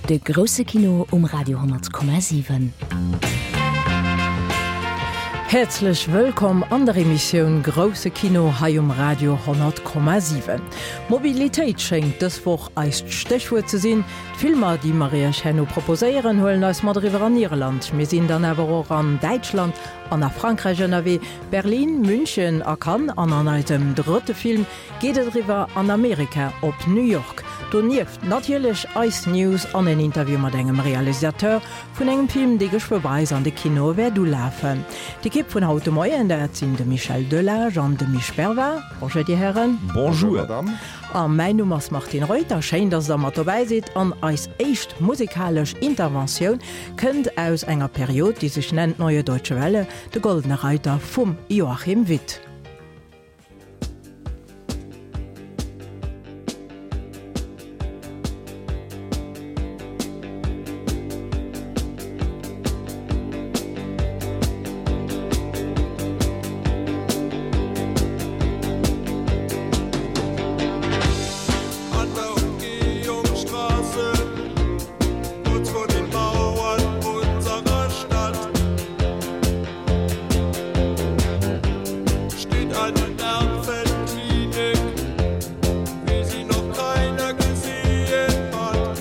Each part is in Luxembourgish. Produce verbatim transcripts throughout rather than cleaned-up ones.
De grousse Kino um Radio honnert Komma siwen. Häerzlech wëllkomm an der Emissioun Grousse Kino hei um Radio honnert Komma siwen. Mobilitéit schéngt dës Woch eist Stéchwuert ze sinn. D'Filmer, déi mer Iech herno proposéieren, huelen eis mat eriwwer an Irland. Mir sinn dann awer och an Däitschland an a Frankräich ënnerwee, Berlin, München a Cannes an an eisem drëtte Film geet et eriwwer an Amerika op New York. Donieft natierlech eis News an en Interview mat engem Realisateur vun engem Film, dee geschwë bei eis an de Kinoe wäert ulafen. D'Ekipp vun haut de Moien, dat sinn de Michel Delage an de Misch Bervard. Bonjour, Dir Hären. Bonjour, Madame. A mäin Numm ass Martine Reuter. Schéin, dass Der mat dobäi sidd. An eis éischt musikalesch Interventioun kënnt aus enger Period, déi sech nennt Neue Deutsche Welle, de Goldene Reiter vum Joachim Witt. An der Umgehungsstraße, kurz vor den Mauern unserer Stadt, steht eine Nervenklinik, wie sie noch keiner gesehen hat.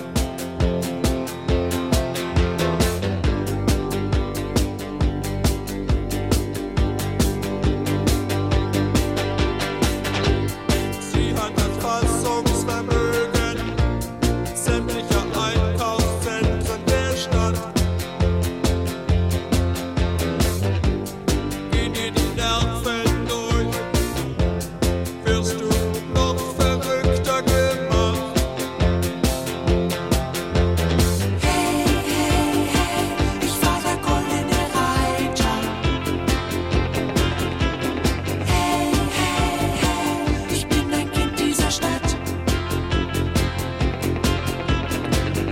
Sie hat das Fassungsvermögen sämtlicher Einkaufszentren der Stadt. Gehen dir die Nerven durch, wirst du noch verrückter gemacht. Hey, hey, hey, ich war der goldene Reiter. Hey, hey, hey, ich bin ein Kind dieser Stadt.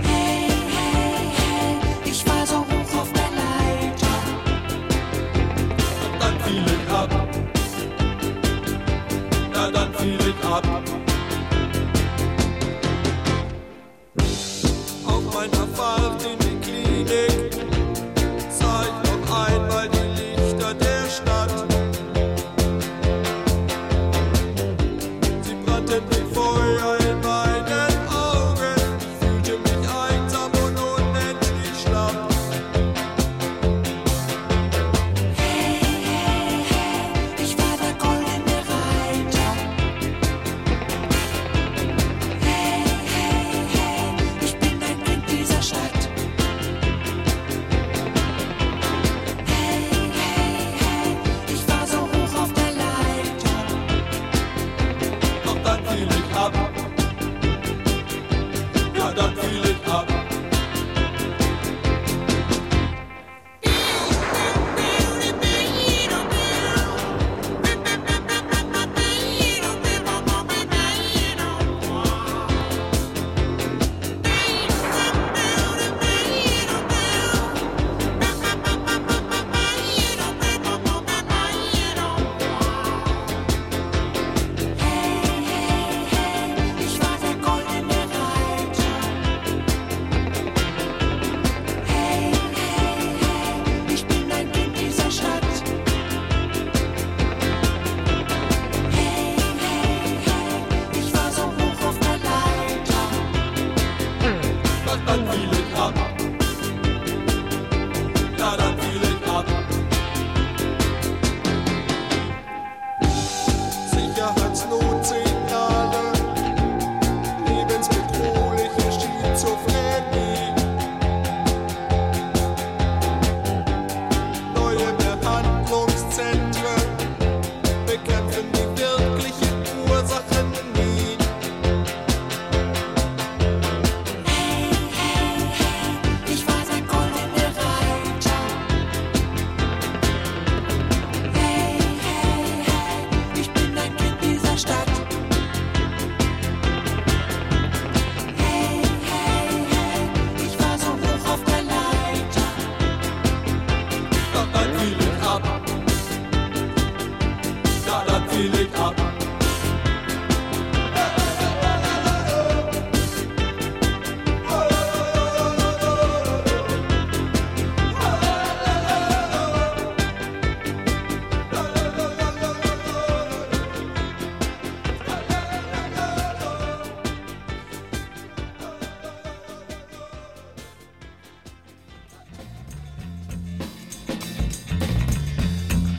Hey, hey, hey, ich war so hoch auf der Leiter. Und dann fiel ich ab. Ja, dann fiel ich ab. Auf meiner Fahrt in die Klinik sah ich noch einmal die Lichter der Stadt. Sie brannten wie Feuer in meinen Augen. Ich fühlte mich einsam und unendlich schlapp. Hey, hey, hey, ich war der goldene Reiter.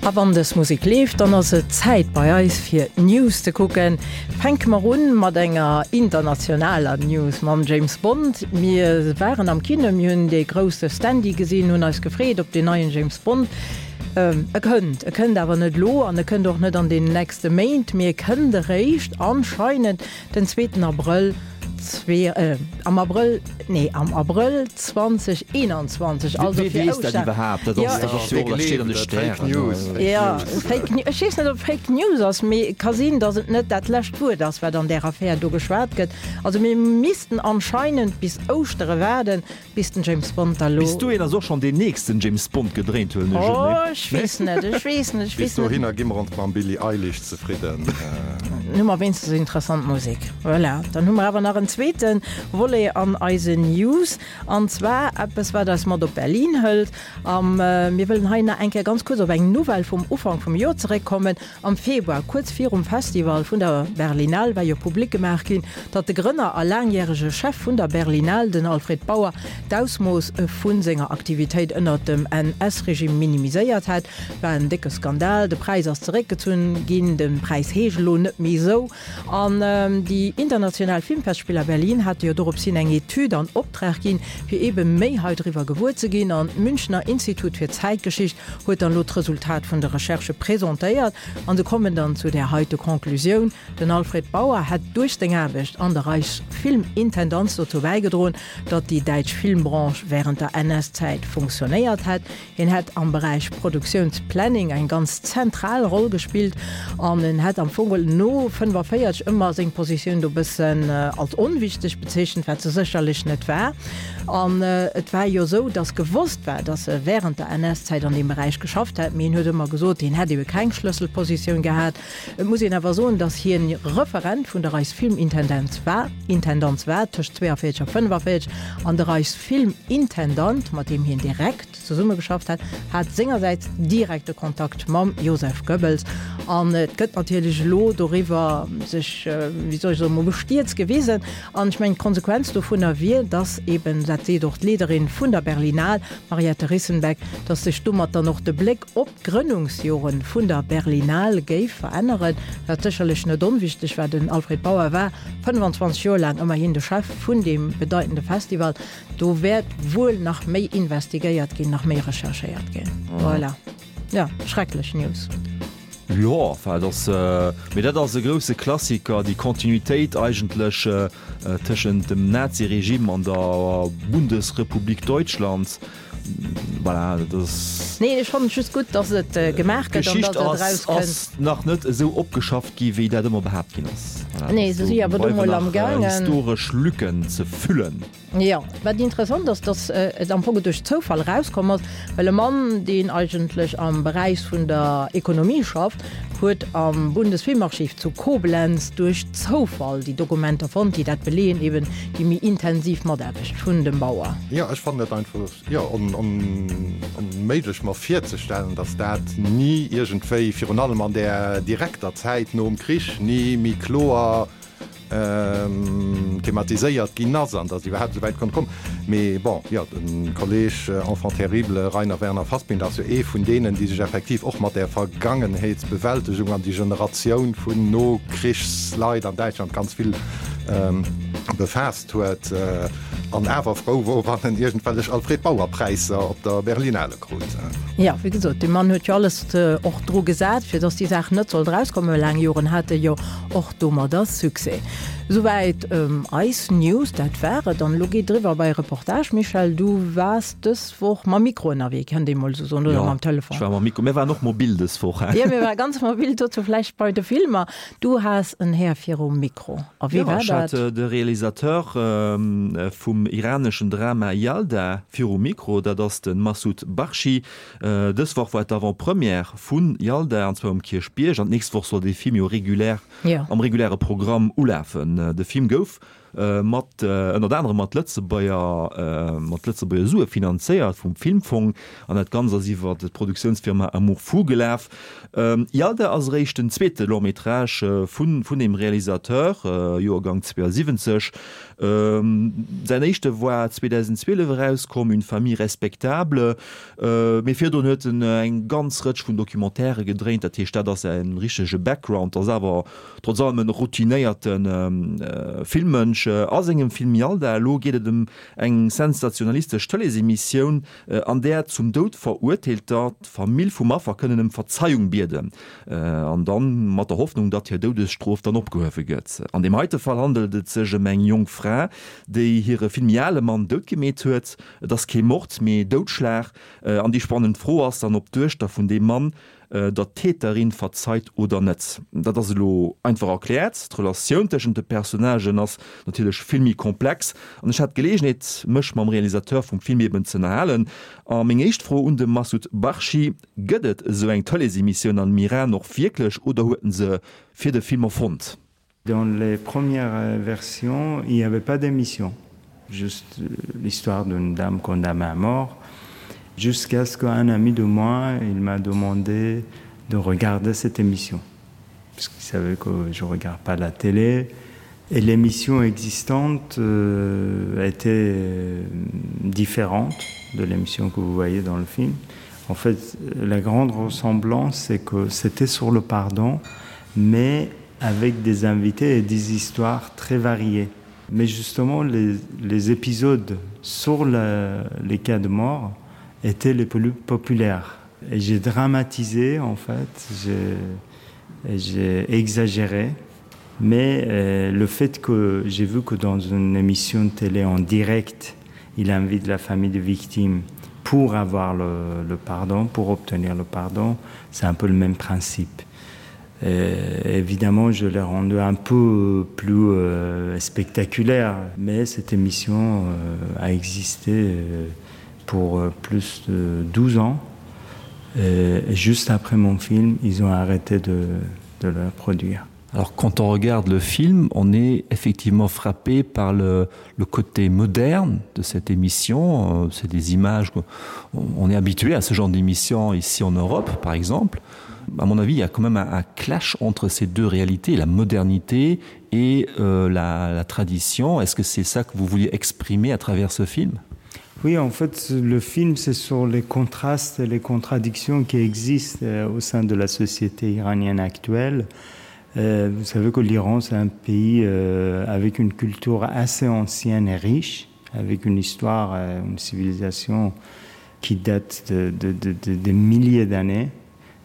A wann dës Musek leeft, dann ass et Zäit bei eis fir d'News ze kucken. Fänke mer un mat enger internationaler News, mam James Bond. Mir waren am Kino, mir hunn dee grousse Standy gesinn, hunn eis gefreet op deen neien James Bond. E kënnt, e kënnt awer net elo an e kënnt och net an deenen nächste Méint, mee e kënnt eréischt anscheinend den zweeten Abrëll zwee, am Abrëll, nee am Abrëll zwanzeg eenanzwanzeg, also Wee fir weess dat Ouschter. iwwerhaapt? Dat ass, dat ass jo och, dat steet an de Fake Stären. News, Fake Ja, News. Fake News, ech weess net, ob Fake News ass, mee et ka sinn, datt et net dat lescht Wuert ass, wat an där Affär do geschwat gëtt. Also mir missten anscheinend bis Ouschtere waarden, bis den James Bond da lo. Bis dohin ass och schonn deen nächsten James Bond gedréint, huelen ech un, Oh, nee? ech weess net, ech weess net, ech Bis weess net. dohinner gi mer ons mam Billie Eilish zefridden. Hu mer wéinstens interessant Musek. Voilà. Dann hu mer awer nach en zweete Volet an eisen News, an zwar eppes, wat eis mat op Berlin hëlt. Am, mir wëllen hei nach eng Kéier ganz kuerz op eng Nouvelle vum Ufank vum Joer zeréckkommen. Am Februar, kuerz virum Festival vun der Berlinale, war jo public gemaach ginn, datt de Grënner a laangjärege Chef vun der Berlinale, den Alfred Bauer, d'Ausmooss vu senger Aktivitéit ënnert dem N S Regime minimiséiert hätt. War en décke Skandal. De Präis ass zeréckgezunn ginn, de Präis heescht elo net méi esou. An déi international Filmfestspiller Berlin hate jo dorops hin eng Etüd an Optrag ginn, fir eebe méi hei driwwer gewuer ze ginn. An d'Münchner Institut fir Zäitgeschicht huet dann elo d'Resultat vun de Recherchë presentéiert. An se kommen dann zu där heite Conclusioun, Den Alfred Bauer hätt duerch seng Aarbecht an der Reichsfilmintendanz dozou bäigedroen, datt déi däitsch Filmbranche wärend der N S-Zäit funktionéiert hätt. Hien hätt am Beräich Produktiounsplanning eng ganz zentral Roll gespillt an en hätt am Fong no fënnefavéierzeg ëmmer seng Positioun do bëssen als onwichteg bezeechent, wat se sécherlech net war. An et war jo esou, datt gewosst war, datt e wärend der N S-Zäit an deem Beräich geschafft hätt, mee hien huet ëmmer gesot, hien hätt ebe keng Schlësselpositioun gehat. Et muss een awer soen, datt hien Referent vun der Reichsfilmintendenz war, Intendanz war tëscht zwéianvéierzeg a fënnefavéierzeg, an de Reichsfilmintendant, mat deem hien direkt zesummegeschafft hat, hat sengersäits direkte Kontakt mam Joseph Goebbels. An et gëtt natierlech elo doriwwer sech, wéi soll ech soen, mol bestierzt gewisen. An ech mengen, d'Konsequenz dovunner wier, dass eben, dat seet och d'Leaderin vun der Berlinale, Mariette Rissenbeck, dass sech domat dann och de Bléck op d'Grënnungsjoren vun der Berlinale géif veränneren, wat sécherlech net onwichteg war. Den Alfred Bauer war fënnfanzwanzeg Joer laang ëmmerhin de Chef vun deem bedeitende Festival. Do wäert wuel nach méi investigéiert ginn, nach méi recherchéiert ginn. Voilà. Jo, schrecklech News. Jo, enfin, dat ass, mee dat ass e grousse Klassiker, déi Kontinuitéit eigentlech tëschent dem Naziregime an der Bundesrepublik Deutschland. Voilà, dat ass. Nee, ech fannen et just gutt, dass et gemaach gëtt an D'Geschicht dass et ass, erauskënnt. ass nach net esou opgeschafft gi wéi dat ëmmer behaapt ginn ass. Voilà, Nee, se do si awer do bleiwen mol nach am gaangen. historesch Lücken ze füllen. Jo, wat interessant ass, dass et am Fong duerch Zoufall erauskomm ass, well e Mann, deen eigentlech am Beräich vun der Ekonomie schafft, huet am Bundesfilmarchiv zu Koblenz duerch Zoufall déi Dokumenter fonnt, déi dat beleeën, eben déi méi intensiv Mataarbecht vun dem Bauer. Jo, ech fannen et einfach, jo, on, on, onméiglech mer virzestellen, dass dat ni iergendwéi, virun allem an där direkter Zäit nom Krich, ni méi kloer thematiséiert ginn ass an dass iwwerhaapt esou wäit konnt kommen. Mee bon, jo, de Kolleg Enfant terrible Rainer Werner Fassbinder ass jo ee vun deenen, déi sech effektiv och mat där Vergangenheetsbewältegung an déi Generatioun vun Nokrichsleit an Däitschland ganz vill befaasst huet an awer frou wor, wann en iergendwellech Alfred Bauer Präisser op der Berlinale krut. Jo, wéi gesot, dee Mann huet jo alles och dru gesat, fir dass déi Saach net sollt erauskommen. Laang Joren hat e jo och domadder Succès. Souwäit eis News, dat war et. An elo geet et eriwwer bei Reportage. Michel, du waars dës Woch mam Mikro ënnerwee, kënnt ee mol esou soen, oder mam Telefon? Jo, ech war mam Mikro. Mir waren och mobil dës Woch, he? Jo, mir ware ganz mobil, dozou vläicht bei de Filmer. Du has en Här virum Mikro. A wie Jo, war ech hat dat? de Realisateur vum iraneschen Drama Yalda virum Mikro, dat ass de Massoud Bakhshi. Dës Woch war d'Avant-première vu Yalda, an zwar um Kierchbierg, an d'nächst Woch soll dee Film jo regulär Jo. am reguläre Programm ulafen. De Film gouf mat ënnert anerem mat Lëtzebuerger mat Lëtzebuerger Sue finanzéiert vum Filmfong an dat Ganzt ass iwwer d'Produktiounsfirma Amour Fou gelaf. Yalda ass eréischt den zweete Long-métrage vun vun deem Realisateur, Joergang zweeasiwwenzeg. Säin éischte war zweedausendzwielef erauskomm, Une famille respectable. Mee virdrun huet en eng ganz Rëtsch vun Documentairë gedréint, dat heescht dat ass säi richtege Background. Ass awer trotz allem en routinéierte Filmmënsch. A sengem Film Yalda elo geet et ëm eng sensationalistesch Tëleesemissioun, an där zum Doud Verurteelter d'Famill vum Affer kënnen ëm Verzeiung bieden, an dann mat der Hoffnung, datt hir Doudesstrof dann opgehuewe gëtt. An deem heite Fall handelt et sech ëm eng jonk Fra, déi hire vill méi ale Mann doutgemeet huet. Et ass kee Mord, mee Doudschlag. An déi spannend Fro ass dann, ob d'Duechter vun deem Mann der Täterin verzeit oder net. Dat ass elo einfach erkläert, d'Relatioun tëschent de Personnagen ass natierlech vill méi komplex. An ech hat d'Geleegenheet, mech mam Realisateur vum Film eben ze ënnerhalen. A meng éischt Fro un de Massoud Bakhshi, Gëtt et esou eng Tëleesemissioun am Iran och wierklech oder huet en se fir de Film erfonnt? Dans les premières versions, il n'y avait pas d'émission. Juste l'histoire d'une dame condamnée à mort jusqu'à ce qu'un ami de moi il m'a demandé de regarder cette émission parce qu'il savait que je regarde pas la télé et l'émission existante euh, était euh, différente de l'émission que vous voyez dans le film en fait la grande ressemblance c'est que c'était sur le pardon mais avec des invités et des histoires très variées mais justement les, les épisodes sur la, les cas de mort étaient les plus populaires. Et j'ai dramatisé en fait, j'ai exagéré, mais euh, le fait que j'ai vu que dans une émission de télé en direct, il invite la famille de victimes pour avoir le, le pardon, pour obtenir le pardon, c'est un peu le même principe. Et évidemment, je l'ai rendu un peu plus euh, spectaculaire, mais cette émission euh, a existé euh, pour euh, plus de douze ans. Et juste après mon film, ils ont arrêté de, de le produire. Alors quand on regarde le film, on est effectivement frappé par le, le côté moderne de cette émission. Euh, c'est des images on est habitué à ce genre d'émission ici en Europe par exemple. À mon avis, il y a quand même un, un clash entre ces deux réalités, la modernité et euh, la, la tradition. Est-ce que c'est ça que vous vouliez exprimer à travers ce film? Oui, en fait, le film, c'est sur les contrastes et les contradictions qui existent euh, au sein de la société iranienne actuelle. Euh, vous savez que l'Iran, c'est un pays euh, avec une culture assez ancienne et riche, avec une histoire, euh, une civilisation qui date de, de, de, de, des milliers d'années.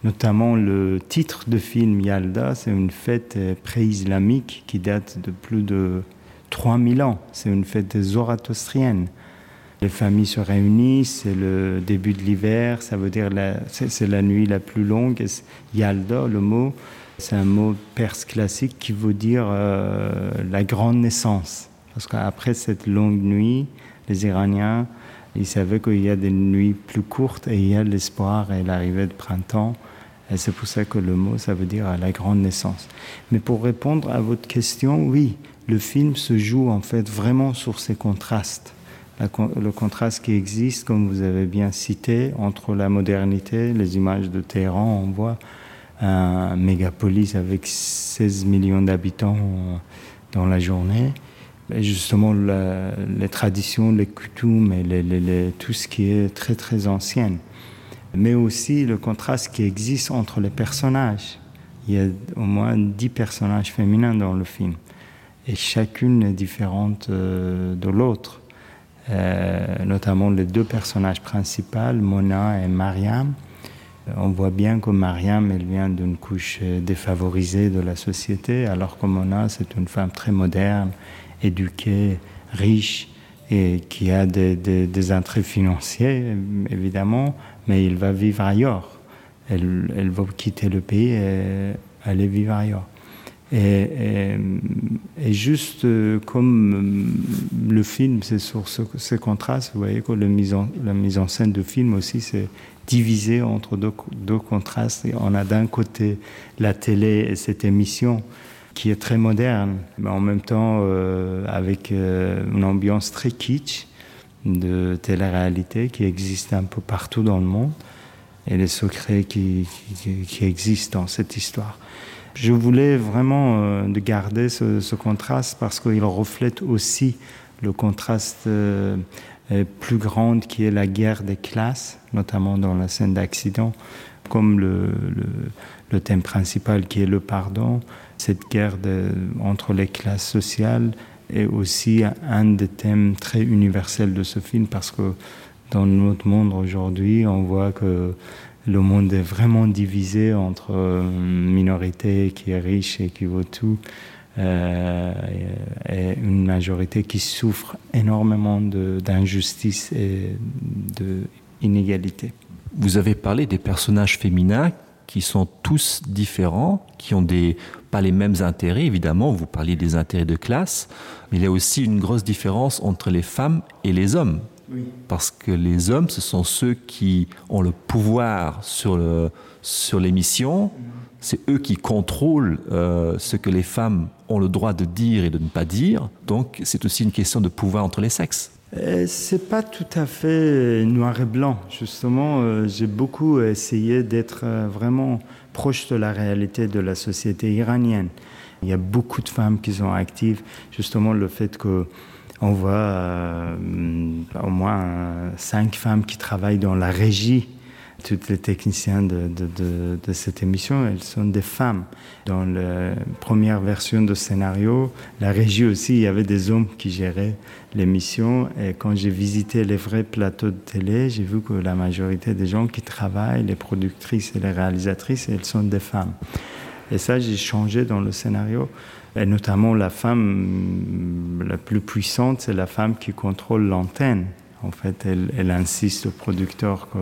Notamment le titre de film Yalda, c'est une fête euh, pré-islamique qui date de plus de trois mille ans. C'est une fête zoroastrienne. Les familles se réunissent, c'est le début de l'hiver, ça veut dire c'est la nuit la plus longue. Yalda, le mot, c'est un mot perse classique qui veut dire euh, la grande naissance. Parce qu'après cette longue nuit, les Iraniens, ils savaient qu'il y a des nuits plus courtes et il y a l'espoir et l'arrivée de printemps. Et c'est pour ça que le mot, ça veut dire la grande naissance. Mais pour répondre à votre question, oui, le film se joue en fait vraiment sur ces contrastes la, le contraste qui existe, comme vous avez bien cité, entre la modernité, les images de Téhéran, on voit un mégapolis avec seize millions d'habitants dans la journée, et justement la, les traditions, les coutumes et les, les, les, tout ce qui est très très ancien. Mais aussi le contraste qui existe entre les personnages. Il y a au moins dix personnages féminins dans le film et chacune est différente euh, de l'autre. Euh, notamment les deux personnages principaux, Mona et Mariam. On voit bien que Mariam, elle vient d'une couche défavorisée de la société, alors que Mona, c'est une femme très moderne, éduquée, riche et qui a des, des, des intérêts financiers, évidemment, mais il va vivre ailleurs. Elle, elle va quitter le pays et aller vivre ailleurs. Et, et, et juste euh, comme euh, le film, c'est sur ce, ce contraste, vous voyez que le mise en, la mise en scène de film aussi, c'est divisé entre deux, deux contrastes. Et on a d'un côté la télé et cette émission qui est très moderne, mais en même temps euh, avec euh, une ambiance très kitsch de télé-réalité qui existe un peu partout dans le monde et les secrets qui, qui, qui existent dans cette histoire. Je voulais vraiment euh, de garder ce, ce contraste parce qu'il reflète aussi le contraste euh, euh, plus grand qui est la guerre des classes, notamment dans la scène d'accident, comme le, le, le thème principal qui est le pardon, cette guerre de, entre les classes sociales est aussi un des thèmes très universels de ce film parce que dans notre monde aujourd'hui, on voit que le monde est vraiment divisé entre une minorité qui est riche et qui vaut tout euh, et une majorité qui souffre énormément d'injustice et d'inégalité. Vous avez parlé des personnages féminins qui sont tous différents, qui ont des, pas les mêmes intérêts, évidemment, vous parliez des intérêts de classe, mais il y a aussi une grosse différence entre les femmes et les hommes. Oui. Parce que les hommes, ce sont ceux qui ont le pouvoir sur le, sur l'émission, mmh. c'est eux qui contrôlent euh, ce que les femmes ont le droit de dire et de ne pas dire. Donc c'est aussi une question de pouvoir entre les sexes. Euh, c'est pas tout à fait noir et blanc. Justement, euh, j'ai beaucoup essayé d'être euh, vraiment proche de la réalité de la société iranienne. Il y a beaucoup de femmes qui sont actives. Justement, le fait que on voit euh, au moins cinq femmes qui travaillent dans la régie toutes les techniciens de, de, de, de cette émission, elles sont des femmes. Dans la première version de scénario, la régie aussi, il y avait des hommes qui géraient l'émission. Et quand j'ai visité les vrais plateaux de télé, j'ai vu que la majorité des gens qui travaillent, les productrices et les réalisatrices, elles sont des femmes. Et ça, j'ai changé dans le scénario. Et notamment la femme la plus puissante, c'est la femme qui contrôle l'antenne. En fait, elle, elle insiste au producteur que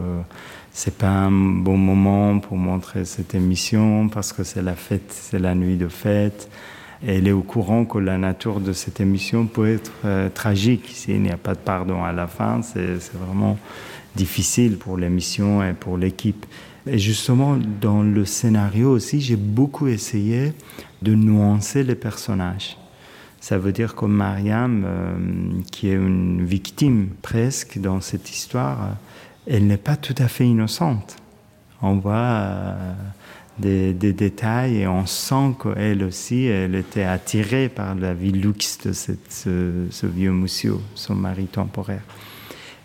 c'est pas un bon moment pour montrer cette émission parce que c'est la fête, c'est la nuit de fête. Et elle est au courant que la nature de cette émission peut être euh, tragique. S'il n'y a pas de pardon à la fin, c'est vraiment difficile pour l'émission et pour l'équipe. Et justement, dans le scénario aussi, j'ai beaucoup essayé de nuancer les personnages. Ça veut dire que Mariam, euh, qui est une victime presque dans cette histoire, euh, elle n'est pas tout à fait innocente. On voit euh, des, des détails et on sent qu'elle aussi, elle était attirée par la vie luxe de cette, ce, ce vieux monsieur, son mari temporaire.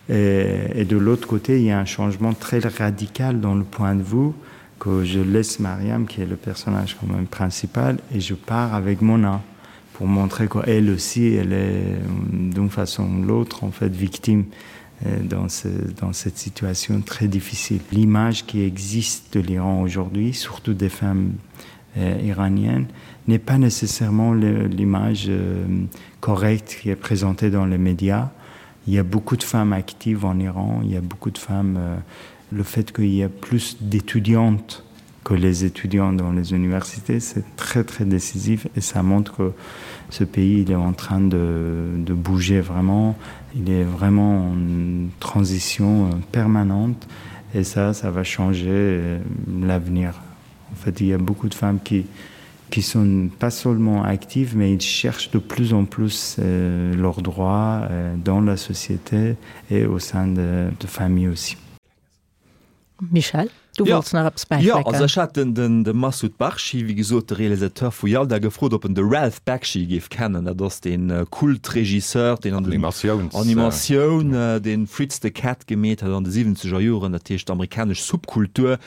Et, et de l'autre côté, il y a un changement très radical dans le point de vue que je laisse Mariam, qui est le personnage quand même principal, et je pars avec Mona pour montrer qu'elle aussi, elle est d'une façon ou l'autre en fait victime euh, dans, ce, dans cette situation très difficile. L'image qui existe de l'Iran aujourd'hui, surtout des femmes euh, iraniennes, n'est pas nécessairement l'image euh, correcte qui est présentée dans les médias. Il y a beaucoup de femmes actives en Iran, il y a beaucoup de femmes. Euh, le fait qu'il y a plus d'étudiantes que les étudiants dans les universités, c'est très très décisif et ça montre que ce pays il est en train de, de bouger vraiment, il est vraiment en transition euh, permanente et ça, ça va changer euh, l'avenir. En fait, il y a beaucoup de femmes qui, qui sont pas seulement actives, mais ils cherchent de plus en plus euh, leurs droits euh, dans la société et au sein de, de familles aussi. Michel, du Ja. wollts nach eppes Jo, bäifécken. also ech hat den, den, de Massoud Bakhshi, wéi gesot, de Realisateur vu Yalda, gefrot, ob en de Ralph Bakshi géif kennen. Dat ass den äh, Kultregisseur, deen an den Animatiouns Animatioun, äh, den Fritz the Cat gemeet hat an de siwwenzeger Joren, dat heescht amerikanesch Subkultur.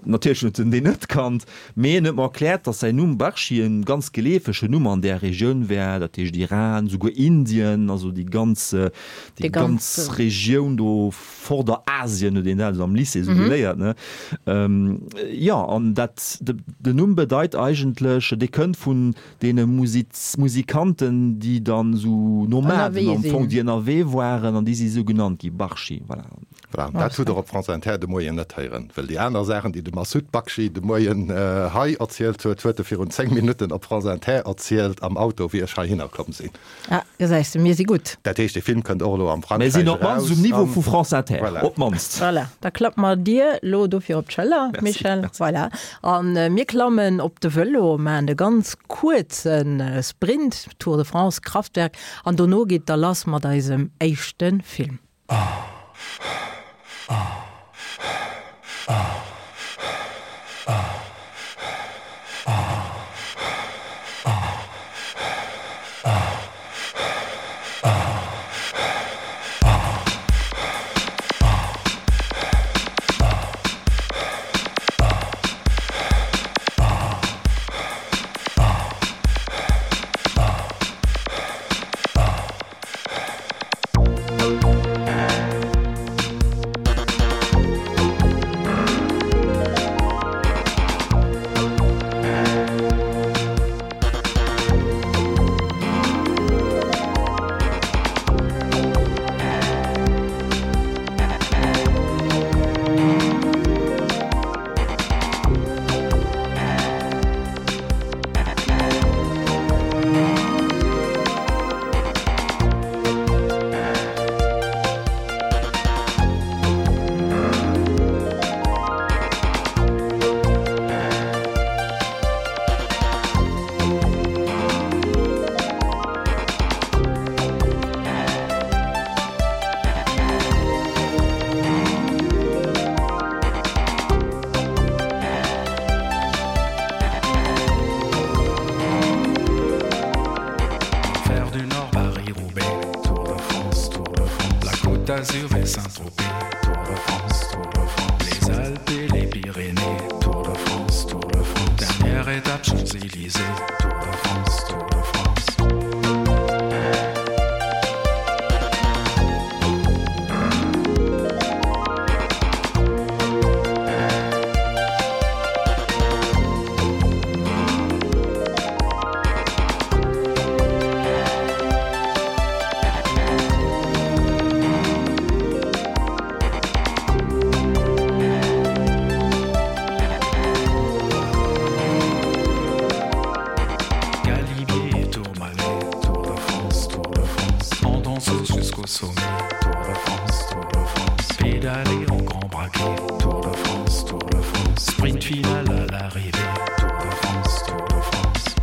Natierlech huet en deen net kannt, mee en huet mer erkläert, dass säin Numm Bakhshi en ganz geleefegen Numm an där Regioun wär, dat heescht Iran, souguer Indien, also déi ganz, äh, déi Déi ganz ganz Regioun do Vorderasien huet een dat also am Lycée sou Mhm. geléiert, ne? Ähm, jo, an dat, de, den Numm bedeit eigentlech, dee kënnt vun deene Musiz Musikanten, déi dann sou Nomaden Ënnerwee am Fong, sinn. déi ënnerwee waren, an déi si sou genannt gi, Bakhshi, voilà. Voilà, dat hutt Der op France Inter de Moien net héieren, well déi aner Saachen, déi de Massoud Bakhshi de Moien hei erzielt huet, huet e virun zéng Minutten op France Inter erzielt am Auto, wéi ech heihinner komm sinn. Ah, gesäis de, mir si gutt. Dat heescht, dee Film kënnt och elo am Frankräich Mir sinn op eraus d'mannst um Niveau an vu France Inter, voilà. op d'mannst. Voilà, da klappe mer dir elo dofir op d'Schëller, Merci, Michel. merci. Voilà. A mir klammen op de Vëlo, maachen e ganz kuerze Sprint, Tour de France, Kraftwerk, an dono geet da lass mat eisem éischte Film. Faire du Nord Paris-Roubaix, Tour de France, Tour de France, la Côte d'Azur et Saint-Tropez, Tour de France, Tour de France, les Alpes et les Pyrénées, Tour de France, Tour de France, dernière étape Champs-Élysées, Tour de France, Tour de France. Galibier et Tourmalet, Tour de France, Tour de France, en danseuse jusqu'au sommet, Tour de France, Tour de France, pédaler en grand braquet, Tour de France, Tour de France, sprint final à l'arrivée, Tour de France, Tour de France.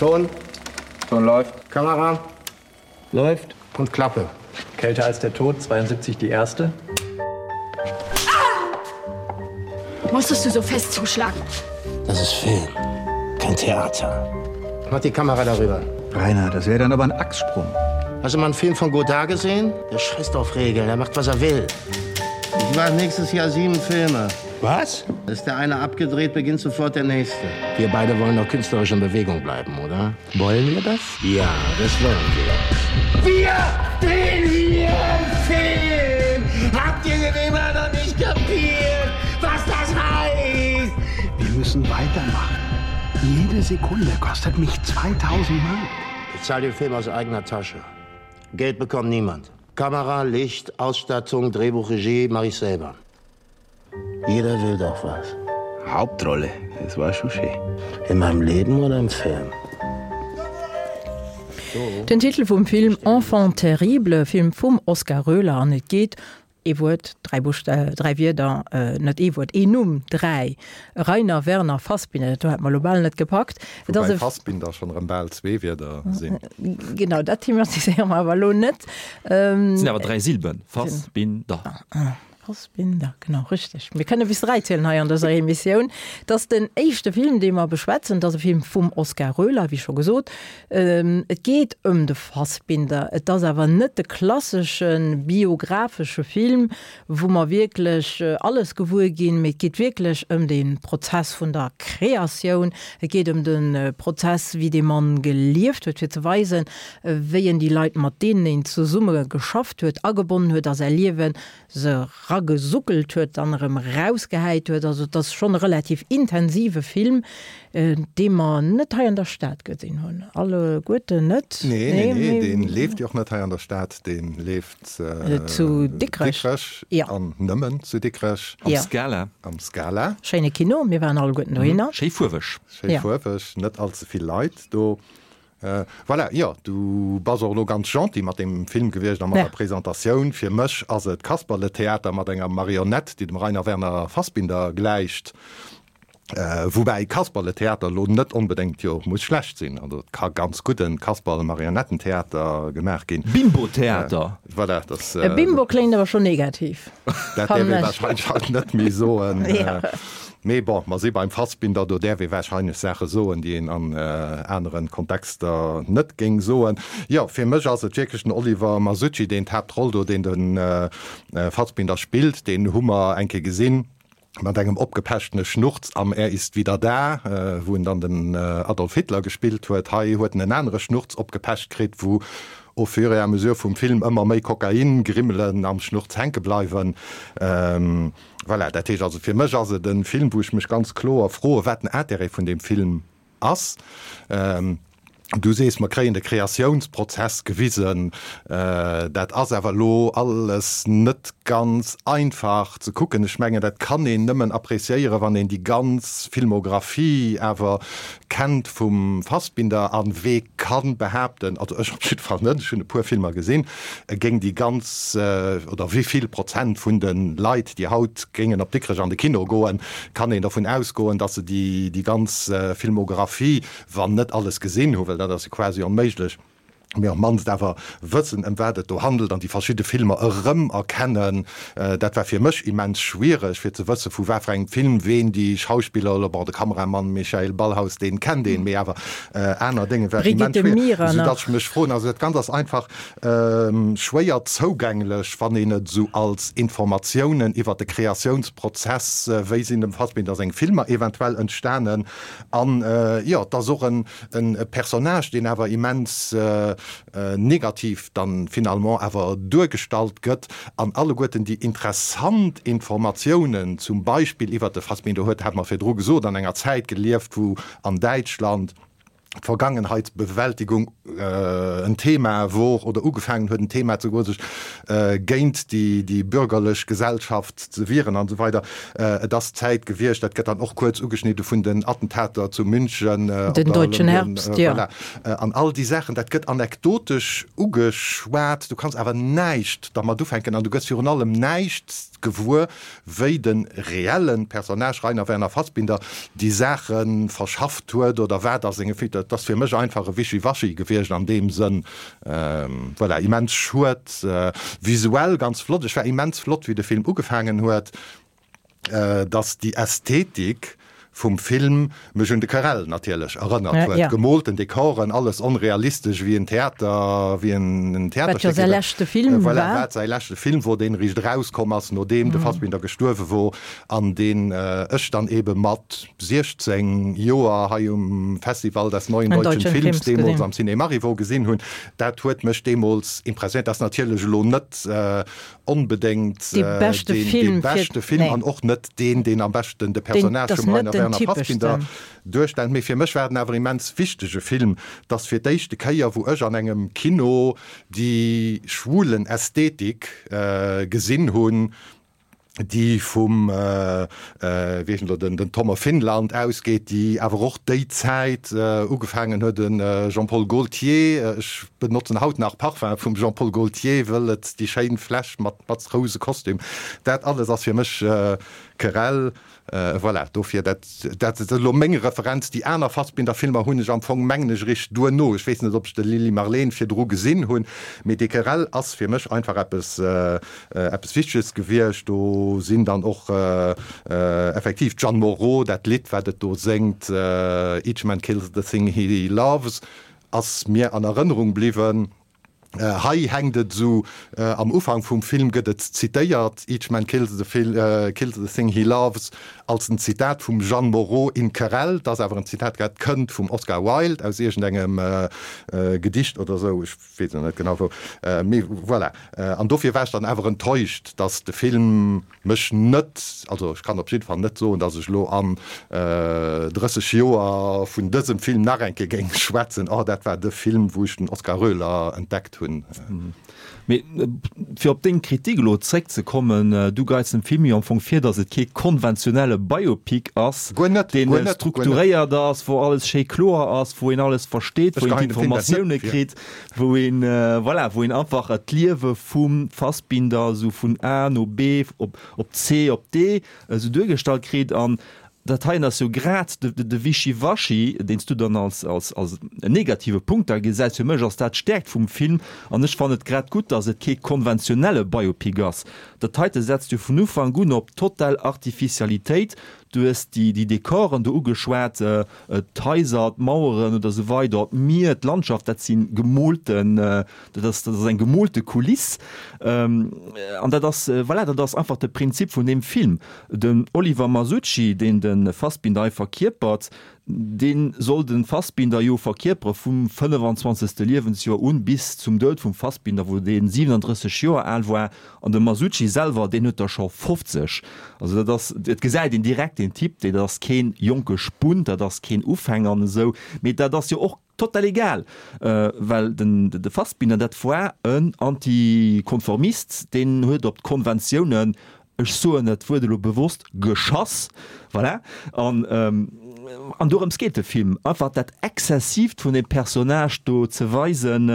Ton. Ton läuft. Kamera. Läuft. Und Klappe. Kälter als der Tod, zweiundsiebzig die erste. Musstest du so fest zuschlagen? Das ist Film, kein Theater. Mach die Kamera darüber. Rainer, das wäre dann aber ein Achssprung. Hast du mal einen Film von Godard gesehen? Der scheißt auf Regeln, er macht, was er will. Ich mache nächstes Jahr sieben Filme. Was? Ist der eine abgedreht, beginnt sofort der nächste. Wir beide wollen doch künstlerisch in Bewegung bleiben, oder? Wollen wir das? Ja, das wollen wir. Wir drehen hier einen Film! Habt ihr denn immer noch nicht kapiert, was das heißt? Wir müssen weitermachen. Jede Sekunde kostet mich zweitausend Mark. Ich zahle den Film aus eigener Tasche. Geld bekommt niemand. Kamera, Licht, Ausstattung, Drehbuch, Regie mache ich selber. Jeder will doch was. Hauptrolle, das war schon schön. In meinem Leben oder im Film? Den Titel vum Film Enfant terrible, Film vum Oskar Roehler an et geet, ee Wuert, dräi Buschta-, dräi Wierder, net ee Wuert, een Numm, dräi, Rainer Werner Fassbinder, dat do hätt mer elo bal net gepackt. Et ass Woubäi e. Fassbinder schonn erëm bal zwee Wierder sinn. Genau, dat thematiséiere mer awer elo net. Et sinn awer dräi Silben, Fassbinder. Fassbinder, genau, richteg. Mir kënne bis dräi zielen hei an dëser Emissioun. Et ass den éischte Film, dee mer beschwätzen. Et ass e Film vum Oskar Roehler, wéi scho gesot. Et geet ëm de Fassbinder. Et ass awer net de klassesche biographesche Film, wou mer wierklech alles gewuer ginn, mee et geet wierklech ëm de Prozess vun der Kreatioun. Et geet ëm de Prozess, wéi dee Mann gelieft huet, fir ze weisen, wéi en déi Leit, mat deenen en zesumme geschafft huet, agebonnen huet a säi Liewen, se ragesuckelt huet, dann erëm rausgehäit huet. Also et ass schonn e relativ intensive Film, dee mer net hei an der Stad gesinn hunn. Alleguerten net. Nee, nee, nee, dee leeft jo och net hei an der Stad, dee leeft zu Dikrech. Dikrech an nëmmen zu Dikrech. Am Scala. Am Scala. Schéine Kino, mir waren alleguerten dohinner. Schéi fuerweg. Schéi fuerweg, net allze vill Leit do. Voilà, jo, du bass och elo ganz gentil mat deem Film gewiescht a mat der Presentatioun. Fir mech ass et Kasperletheater mat enger Marionett, déi dem Rainer Werner Fassbinder gläicht. Woubäi Kasperletheater elo net onbedéngt jo muss schlecht sinn. Also et ka ganz gudden Kasperle-Marionettentheater gemaach ginn. Bimbo-Theater! Voilà, dass. E Bimbo kléngt awer schonn negativ, Dat däerf fannen ee ech. wahrscheinlech haut net méi soen. Mee bon, mer si beim Fassbinder, do däerf ee warscheinlech Saache soen, déi een an anere Kontexter net géing soen. Jo, fir mech ass et wierklech den Oliver Masucci, deen d'Haaptroll do, deen de Fassbinder spillt, deen hu mer eng Kéier gesinn mat engem opgepechtene Schnurz am Er ist wieder da, wou en dann den Adolf Hitler gespillt huet. Hei huet en en anere Schnurz opgepecht kritt, wou au fur et à mesure vum Film ëmmer méi Kokain-Grimmelen am Schnurz hänke bleiwen. Voilà, dat heescht also, fir mech ass et e Film, wou ech mech ganz kloer froe wat den Intérêt vun deem Film ass. Du sees, mer kréien de Kreatiounsprozess gewisen. Dat ass awer elo alles net ganz einfach ze kucken. Ech mengen, dat kann een nëmmen appréciéieren, wann een déi ganz Filmographie awer kennt vum Fassbinder. A wee ka behaapten, also ech op jidde Fall net, ech hunn e puer Filmer gesinn, e géing déi ganz, oder wéi vill Prozent vun de Leit, déi haut géingen op Dikrech an de Kino goen, kann een dervun ausgoen, datt se déi ganz Filmographie, wann net alles gesinn hunn, well dat ass jo quasi onméiglech, mee op d'mannst awer wëssen, ëm wat et do handelt an déi verschidde Filmer erëmerkennen. Dat war fir mech immens schwiereg, fir ze wësse vu wat fir engem Film ween déi Schauspiller, elo bon, de Kameramann Michael Ballhaus, deen kennt een, mee awer aner Dénge war immens Brigitte schwiereg, Mira soudatt nach. ech mech froen, also dat Ganzt ass einfach schwéier zougänglech, wann een et esou als Informatiounen iwwert de Kreatiounsprozess, wéi sinn dem Fassbinder seng Filmer eventuell entstanen, An jo, et ass och en Personnage, deen awer immens negativ dann finalement awer duergestallt gëtt. An alleguerten déi interessant Informatiounen, zum Beispill iwwert de Fassbinder huet, hat mer virdru gesot, an enger Zäit gelieft, wou an Däitschland d'Vergangenheitsbewältigung en Thema wor oder ugefaangen huet en Thema ze goen, sech géint déi bürgerlech Gesellschaft ze wieren an esou weider. Et ass d'Zäit gewiescht, dat gëtt dann och kuerz ugeschnidde vun den Attentater zu München, Den deutschen Herbst, jo. Voilà. An all déi Saachen, dat gëtt anekdotesch ugeschwat, du kanns awer näischt dermat ufänken an du gëss virun allem näischt gewuer, wéi de reelle Personnage Rainer Werner Fassbinder déi Saache verschafft huet oder wat a senge. Dat ass fir mech einfach e Wischiwaschi gewiescht an deem Sënn. Voilà, immens schued. Visuell ganz flott. Ech war immens flott, wéi de Film ugefaangen huet, dass déi Ästhetik vum Film mech un de Carrel natierlech erënnert huet. Ja. Gemolten Dekoren, alles onrealistesch wéi en Theater, wéi en Wat jo Theaterstéck säi eben. leschte Film Voilà, war. wat säi leschte Film wor, deen eréischt erauskomm ass, nodeem de Fassbinder gestuerwe wor an deen ech dann ebe mat siechzéng Joer hei um Festival des Neuen Neuen Deutschen Deutschen Films Films deemools gesinn. am Ciné Marivaux gesinn hunn. Dat huet mech deemools impressionéiert. Dat ass natierlech elo net onbedéngt Dee beschte deen Film fir, beschte Film nee. an och net deen, deen am beschten de Deen, Personnage ass vum net Rainer den Werner Fassbinder typeschsten. duerstellt. Mee fir mech war et awer immens wichtege Film. 't ass fir d'éischte Kéier, wou ech an engem Kino déi schwulen Ästhetik gesinn hunn, déi vum, wéi heescht en elo, den Tom of Finland ausgeet, déi awer och déi Zäit ugefaangen huet, de Jean-Paul Gaultier, ech benotzen haut nach Parfum vum Jean-Paul Gaultier, wëll et déi schéin Fläsch mat mat rouse Kostüm, dat alles ass fir mech Querelle. Voilà, dofir, dat, dat ass elo meng Referenz. Déi aner Fassbinder-Filmer hunn ech am Fong, mengen ech, eréischt duerno, ech weess net, ob ech de Lili Marleen virdru gesinn hunn, mee déi Querelle ass fir mech einfach eppes, eppes Wichteges gewiescht. Do sinn dann och effektiv d'Jeanne Moreau, dat Lidd, wat et do séngt, Each man kills the thing he loves, ass mir an Erënnerung bliwwen. Hei hänkt et esou, am Ufank vum Film gëtt et zitéiert, Each man kills the kills the thing he loves, als en Zitat vum Jeanne Moreau in Querelle. Et ass awer en Zitat, dat kënnt vum Oscar Wilde aus iergendengem Gedicht oder esou, ech weess elo net genau wou, mee voilà. An dofir war ech dann awer enttäuscht, dass de Film mech net, also ech kann op jidde Fall net soen, dass ech elo an drësseg Joer vun dësem Film nach eng Kéier géing schwätzen, oh dat war de Film, wou ech den Oskar Roehler entdeckt hunn. Mee fir op deng Kritik elo zréckzekommen, du geits dem Film jo am Fong vir, dass et kee konventionelle Biopic ass, deen strukturéiert ass, wou alles schéi kloer ass, wou een alles versteet, wou een d'Informatioune kritt, wou een, voilà, wou een einfach d'Liewe vum Fassbinder esou vun A no B op op C op D esou duergestallt kritt. An dat heien ass jo grad de, de, de Wischiwaschi, deen s du dann als, als, als en negative Punkt da gesäis. Fir mech ass dat d'Stäerkt vum Film an ech fannen et grad gutt, datt et kee konventionelle Biopic ass. Dat heite setzt jo vun Ufank un op total Artificialitéit. Du hues déi, déi Dekoren do ugeschwat, d'Haiser, d'Maueren oder esou weider, d'Mier, d'Landschaft, dat si gemoolten, dat ass, dat ass eng gemoolte Kuliss. An dat ass, voilà, dat ass einfach de Prinzip vun deem Film. Den Oliver Masucci, deen de Fassbinder hei verkierpert, dee soll de Fassbinder jo verkierpere vum fënnefenzwanzegste Liewensjoer un bis zum Doud vum Fassbinder, wou dee siwenandrësseg Joer al war. An de Masucci selwer, deen huet der scho fofzeg. Also dat ass, et gesäit een direkt, deen Typ, deen ass kee jonke Spunt, dat ass keen Ufänger an esou. Mee dat ass jo och total egal, well den de Fassbinder, dat war en Antikonformist, deen huet op d'Konventiounen, ech soen dat Wuert elo bewosst, geschass, voilà, an an dorëms geet de Film, einfach dat Exzessiivt vun deem Personnage do ze weisen.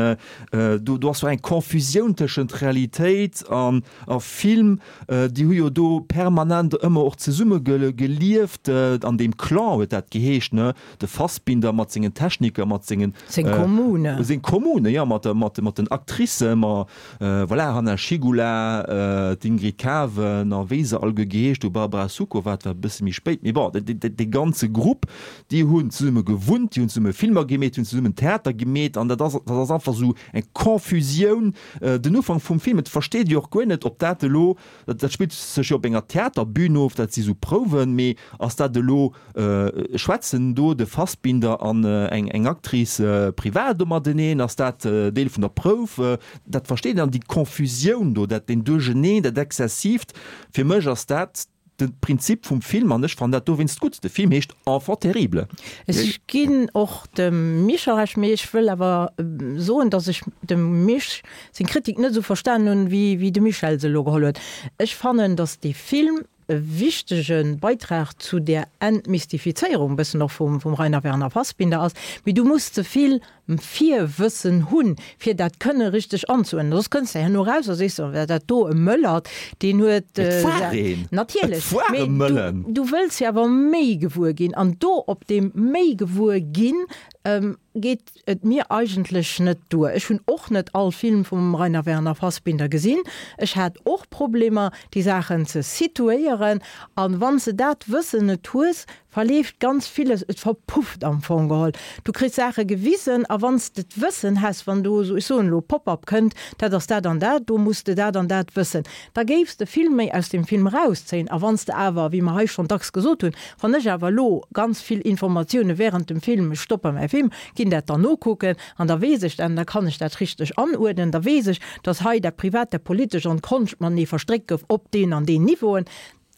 Do do ass sou eng Confusioun tëschent Realitéit an a Film, déi hu jo do permanent ëmmer och zesumme gelieft, an deem Clan huet dat geheescht, ne, de Fassbinder mat sengen Techniker, mat sengen Seng Kommune. Seng Kommune, jo, mat mat mat den Actricen, ma voilà, Hanna Schygulla, d'Ingrid Caven a wéi se alleguer geheescht hu, Barbara Sukowa, dat war e bësse méi spéit, mee bon, dee ganze Grupp, déi hunn zesumme gewunnt, déi hunn zesumme Filmer gemeet, déi hunn zesummen Theater gemeet an dat ass, dat ass einfach esou eng Confusioun. Den Ufank vum Film, et versteet ee jo och guer net, ob dat elo, dat spillt sech jo op enger Theaterbün of, dat si sou Prouwen, mee ass dat elo, Schwätzen do de Fassbinder an eng Actrice privat do mateneen? Ass dat Deel vun der Prouf? Dat versteet een. An déi Confusioun do, dat deen Duercheneen, dat Exzessiivt, fir mech ass dat de Prinzip vum Film an ech fannen dat dowéinst gutt. De Film heescht Enfant terrible. Ech ginn och dem Michel Recht, mee ech wëll awer soen, datt ech dem Misch seng Kritik net esou verstanen hunn, wéi de Michel se elo geholl huet. Ech fannen, datt dee Film e wichtege Beitrag zu där Entmystifizéierung bëssen och vum vum Rainer Werner Fassbinder ass, mee du muss ze vill Virwëssen hunn, fir dat kënne richteg anzuuerdnen. Soss kënns de herno eraus a sees, oh, dat do e Mëllert, deen huet. Et war een! Natierlech, Et war e mee du, Mëllen! du wëlls jo awer méi gewuer ginn. An do op deem méi gewuer ginn, geet et mir eigentlech net duer. Ech hunn och net all Film vum Rainer Werner Fassbinder gesinn. Ech hat och Problemer, déi Saachen ze situéieren. An wann s de dat Wëssen net hues, verleeft ganz villes, et verpufft am Fong geholl. Du kriss Saache gewisen, a wann s de d'Wëssen häss, wann do esou, ech soen elo, Pop-up kënnt, dat ass dat an dat, do muss de dat an dat wëssen, da géifs de vill méi aus dem Film erauszéien. A wann s de awer, wéi mer hei schonn dacks gesot hunn, wann ech awer elo ganz vill Informatioune während dem Film, ech stoppe mäi Film, ginn dat dann nokucken an da weess ech dat an da kann ech dat richteg anuerdnen, da weess ech, dass hei dat Privat, dat Politescht an d'Konscht matenee verstréckt gouf op deen an deen Niveauen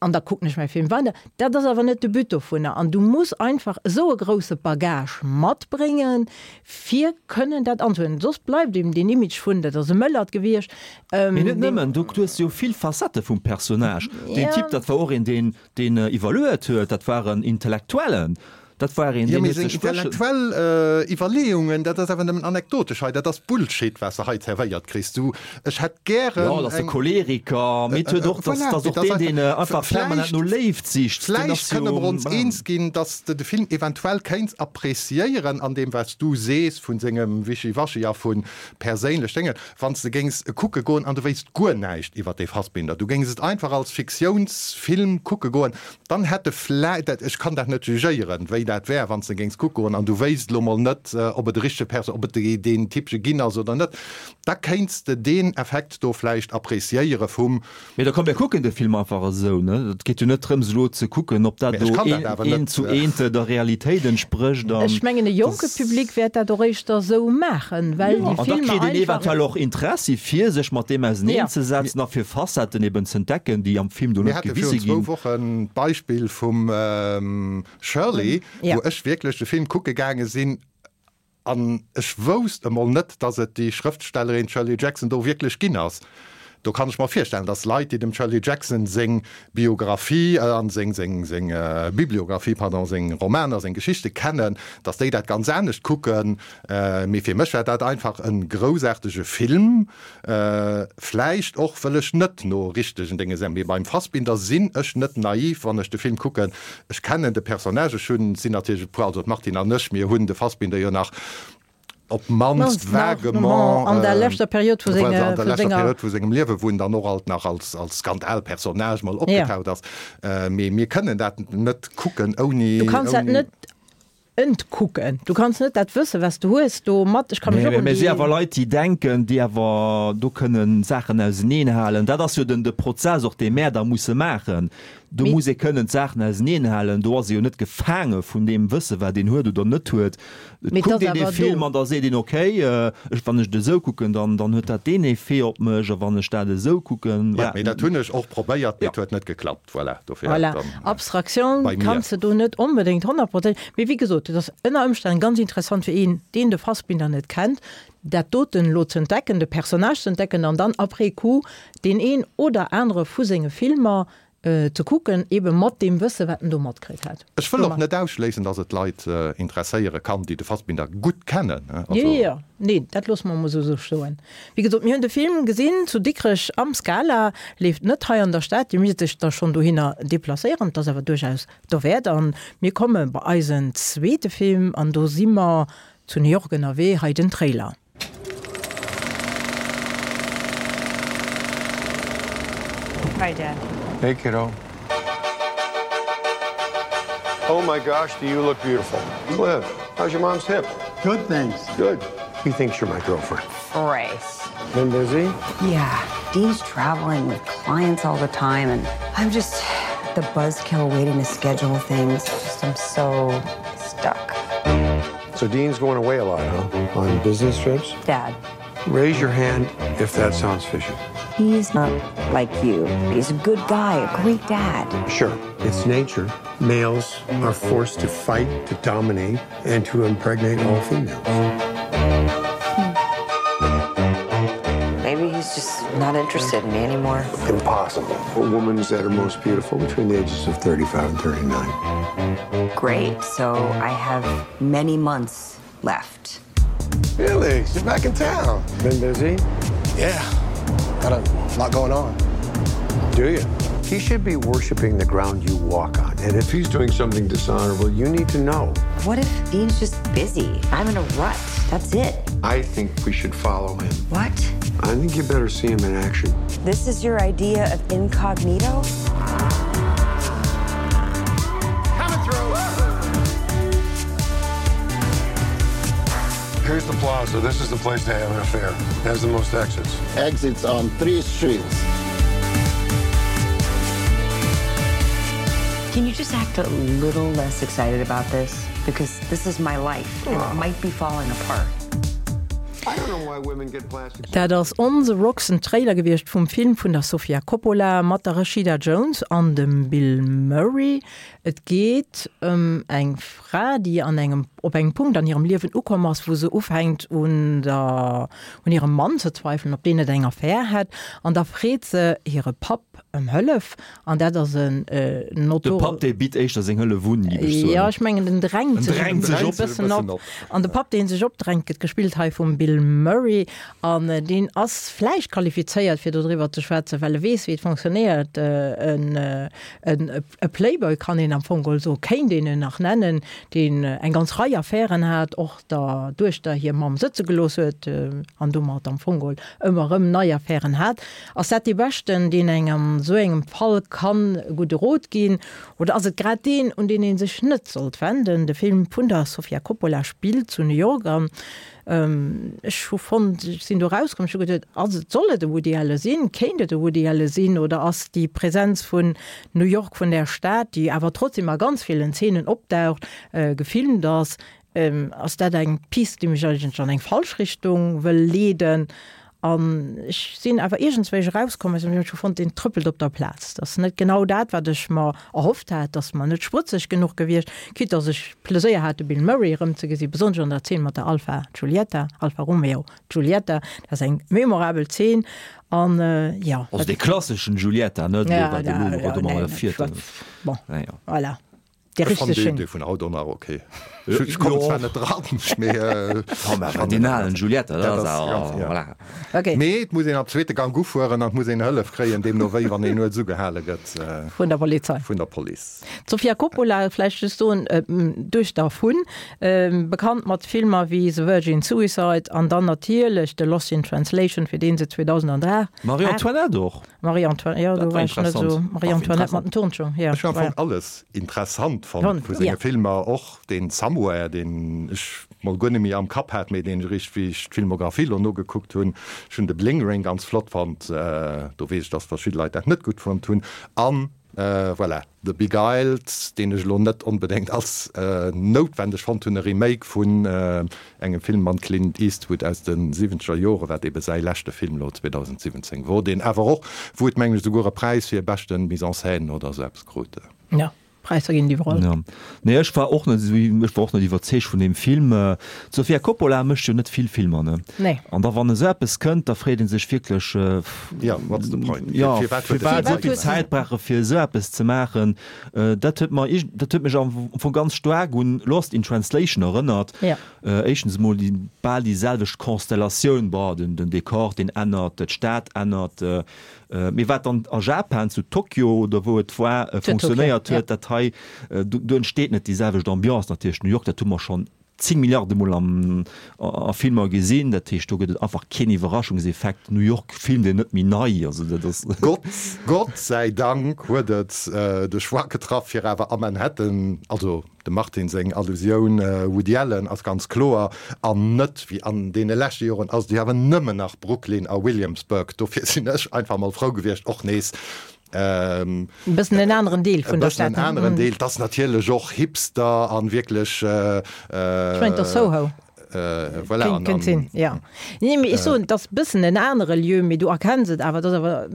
an da kucken ech mäi Film weider. Dat ass awer net de But dovunner an du muss einfach esou e grousse Bagage matbréngen, fir kënnen dat anzuuerdnen. Soss bleift eben deen Image vun, dat ass e Mëllert gewiescht. Mee net nëmmen, du hues jo vill Facettë vum Personnage. Deen Typ, dat war och een, deen, deen iwwerluet huet, dat war en Intellektuellen. Dat war een, Jo, deen mee huet seng sech wëschen. intellektuell Iwwerleeungen, dat ass awer nëmmen anekdotesch hei, dat ass Bullshit, wat s de hei zerwéiert kriss. Du, ech hätt gären Jo, dat ass e eng. Choleriker, mee et huet och, Voilà, dat ass mee och dat ass deen, deen einfach, einfach permanent vläicht, no Léift sicht. Deen vläicht ass kënne jo, mer ons eens ginn, dass s de de Film eventuell kéints appreciéieren an deem, wat s du sees vun sengem Wischiwaschi a vu perséinlech Déngen, wann s de géings e kucke goen an du wéisst guer näischt iwwer dee Fassbinder, du géings et einfach als Fiktiounsfilm kucke goen, dann hätt e vläi-, dat, ech kann dat net jugéieren, wéi dat wär, wann s de géings kucke goen an du wéisst elo mol net, ob et e richtege Perso-, ob et dee, deen Typche ginn ass oder net, da kéints de deen Effekt do vläicht appreciéiere vum. Mee da komm, mir kucken de Film einfach esou, ne? Et geet jo net drëms elo ze kucken, ob dat Mee ech do kann dat een, awer eent net. zu eent der Realitéit entsprécht an Ech mengen, e jonke dass. Public wäert dat och éischter esou maachen, well Jo, déi an da Filmer kritt een einfach. eventuell och Interessi fir sech mat deem Ja. auseneenzesetzen a fir Facetten eben ze entdecken, déi am Film do Mir net hate gewise virun zwou ginn. Wochen d'Beispill vum Shirley, Ja. wou ech wierklech de Film kucke gaange sinn an ech wousst emol net, dass et déi Schrëftstellerin Shirley Jackson do wierklech ginn ass. Do kann ech mer virstellen, dass Leit, déi dem Shirley Jackson seng Biographie an seng, seng, seng Bibliographie, pardon, seng Romaner, seng Geschichte kennen, dass déi dat ganz anescht kucken. Mee fir mech war dat einfach e groussaartege Film, vläicht och wëll ech net no richtegen Dénge sinn. Mee beim Fassbinder sinn ech net naiv, wann ech de Film kucken. Ech kennen de Personnage, ech hunn, sinn natierlech e puer, also d'Martine an ech, mir hunn de Fassbinder jo nach op d'mannst vaguement an der leschter Period vu an der senge, leschter senger Period vu sengem Liewe, wou en dann och alt nach als, als Skandalpersonnage mol Ja. opgetaucht ass. Mee mir kënnen dat net kucken ouni, Du kanns dat ouni. net entkucken. Du kanns net dat wësse was du hues do mat. Ech kann mech Nee, och mee un mir si déi. awer Leit, déi denken, déi awer do kënnen Saachen auseneenhalen. Dat ass jo den de Prozess och, dee mär da musse maachen. Do Mee muss ee kënnen d'Saachen auseneenhalen. Do ass ee jo net gefaange vun deem Wësse wat een huet oder net huet. Et Mee et kuckt ass een dee awer Film do. an da seet een, okay, ech, wann ech et esou kucken, dann, dann huet dat deen Effet op mech, a wann ech dat esou kucken, Ja, voilà. mee dat hunn ech och probéiert, mee et huet net geklappt. Voilà, dofir Voilà. dann Abstraktioun bei mir. kanns de do net onbedéngt honnertprozent. Mee wéi gesot, et ass ënner Ëmstänn ganz interessant fir een, deen de Fassbinder net kennt, dat doten elo ze entdecken, de Personnage ze entdecken an dann après coup deen een oder anere vu senge Filmer ze kucken, ebe mat deem Wësse wat en do matkritt huet. Ech wëll och net ausschléissen, dass et Leit interesséiere kann, déi de Fassbinder gutt kennen. Jo, jo, jo. Nee, dat loosse mer emol esou stoen. Wéi gesot, mir hunn de Film gesinn zu Dikrech am Scala, leeft net hei an der Stad, Dir misst iech da schonn dohinner deplacéieren, et ass awer duerchaus dowäert. An mir komme bei eisen zweete Film an do si mer zu New York ënnerwee, hei den Trailer. Hi, Dad. Hey, kiddo. Oh my gosh, do you look beautiful. Cliff, how's your mom's hip? Good, thanks. Good. He thinks you're my girlfriend. Grace. Been busy? Yeah, Dean's traveling with clients all the time, and I'm just the buzzkill waiting to schedule things. Just, I'm so stuck. So Dean's going away a lot, huh? On business trips? Dad. Raise your hand if that sounds fishy. He's not like you. He's a good guy, a great dad. Sure, it's nature. Males are forced to fight, to dominate, and to impregnate all females. Maybe he's just not interested in me anymore. Impossible. A woman's at her most beautiful between the ages of thirty-five and thirty-nine. Great, so I have many months left. Felix, you're back in town. Been busy? Yeah, got a lot going on. Do you? He should be worshiping the ground you walk on. And if he's doing something dishonorable, you need to know. What if Dean's just busy? I'm in a rut. That's it. I think we should follow him. What? I think you better see him in action. This is your idea of incognito? Coming through. Here's the plaza. This is the place to have an affair. It has the most exits. Exits on three streets. Can you just act a little less excited about this? Because this is my life and it might be falling apart. Dat ass On the Rocks, en Trailer gewiescht vum Film vun der Sofia Coppola mat der Rashida Jones an dem Bill Murray. Et geet ëm eng Fra, déi an engem, op engem Punkt an hirem Liewen ukomm ass, wou se ufänkt un der, un hirem Mann ze zweifelen, ob deen net eng Affär hätt. An da freet se hire Papp ëm Hëllef an dat ass en De Papp, dee bitt éischter seng Hëllef un, géif ech soen. Jo, ech mengen, en drängt sech en bëssen op. An de Papp, dee sech opdrängt, gëtt gespillt hei vum Bill Murray. An deen ass vläicht qualifizéiert, fir dodriwwer ze schwätzen, well e weess, wéi et fonctionnéiert. En, en, e Playboy kann een am Fong geholl soen, kéint een en nach nennen, deen eng ganz Rei Affären hat, och der Duechter hir Mamm sëtze gelooss huet an domat am Fong geholl ëmmer erëm nei Affären hat. Ass dat dee Beschten, deen engem an esou engem Fall kann e gudde Rot ginn? Oder ass et grad deen, un deen ee sech net sollt wenden? De Film vun der Sofia Coppola spillt zu New York an ech hu fonnt, ech sinn do erauskomm, ech hu geduet, ass et, soll et e Woody Allen sinn? Kéint et e Woody Allen sinn? Oder ass déi Präsenz vun New York, vun där Stad, déi awer trotzdem a ganz villen Zeenen opdaucht, gefilmt ass, ass dat eng Pist, déi mech eigentlech an eng falsch Richtung wëll leeden? An ech sinn awer iergendswéi erauskomm aus dem Film, ech hu fonnt, deen trëppelt op der Plaz. Dat ass net genau dat, wat ech mer erhofft hat. Dat ass mer net sprëtzeg genuch gewiescht, quitte dass ech Pleséier hat, de Bill Murray erëmzegesinn, besonnesch an der Zeen mat der Alfa Giulietta, Alfa Romeo Giulietta. Dat ass eng memorabel Zeen. An, jo. Also dee klasseschen Giulietta, net elo wat elo domadder fiert. Bon, voilà. Ech fannen dee, dee vun haut och nach ok. Ech kommen zwar net dran, mee ech fannen deen alen Giulietta, dat ass awer, voilà. Ok. Mee et muss een am zweete Gank ufueren an et muss een Hëllef kréien, deemno wéi wann een nuets ugehale gëtt. Vun der Polizei. Vun der Police. D'Sofia Coppola, vläicht just soen, Duechter vun, bekannt mat Filmer wéi The Virgin Suicide an dann natierlech de Lost in Translation, fir dee se zweedausendaacht. Marie-Antoinette och. Marie-Antoinette, jo, do war ech net esou. Marie-Antoinette mat den Turnschoung, jo. Ech hunn am Fong alles interessant fonnt vu senge Filmer, och deen Somewhere, deen ech mol guer net méi am Kapp hat, mee deen ech eréischt wéi ech d'Filmographie elo nogekuckt hunn. Ech hunn de Bling Ring ganz flott fonnt, do weess ech, dass verschidde Leit dat net gutt fonnt hunn. An voilà, The Beguiled, deen ech elo net onbedéngt als noutwendeg fonnt hunn, e Remake vun engem Film mam Clint Eastwood aus de siwwenzeger Joren, wat ebe säi leschte Film elo zweedausendsiwwenzéng wor, deen awer och, wou et mengen ech esouguer e Präis fir beschte Mise en scène oder esou eppes krut. Jo, Präisser ginn et iwwerall. Jo. Nee, ech war och net esou, ech war och net iwwerzeegt vun deem Film. D'Sofia Coppola mécht jo net vill Filmer, ne? Nee. An da wann esou eppes kënnt, da freet ee sech wierklech, Jo, what's the point? Jo, firwat esou vill Zäit brauche fir esou eppes ze maachen? Dat huet mer, dat huet mech am Fong ganz staark un Lost in Translation erënnert. Ja. Éischtens emol déi bal déi selwecht Konstellatioun, bon, den, den Dekor, deen ännert, d'Stad ännert, Mee wat dann a Japan, zu Tokio oder wou et war, funktionéiert huet, dat hei, do entsteet net déi selwecht Ambiance. Natierlech New York, dat hu mer schonn zéng Milliarde Mol am a Filmer gesinn. Dat heescht, do gëtt et einfach keen Iwwerraschungseffekt. New York filmt een net méi nei. Also dat ass. Gott, Gott säi Dank huet et de Choix getraff, fir awer a Manhattan, also Dem Martin seng Allusioun, Woody Allen, ass ganz kloer, an net wéi an deene leschte Joren ass et jo awer nëmmen nach Brooklyn a Williamsburg. Dofir sinn ech einfach mol frou gewiescht, och nees e bëssen en aneren Deel vun der Stad. E bëssen en aneren Deel. Et ass natierlech och Hipster an wierklech. Ech mengen, et ass Soho. Voilà. Kéint, kéint sinn, jo. Nee, mee ech soen, et ass e bëssen en anere Lieu, mee du erkenns et awer. Et ass awer,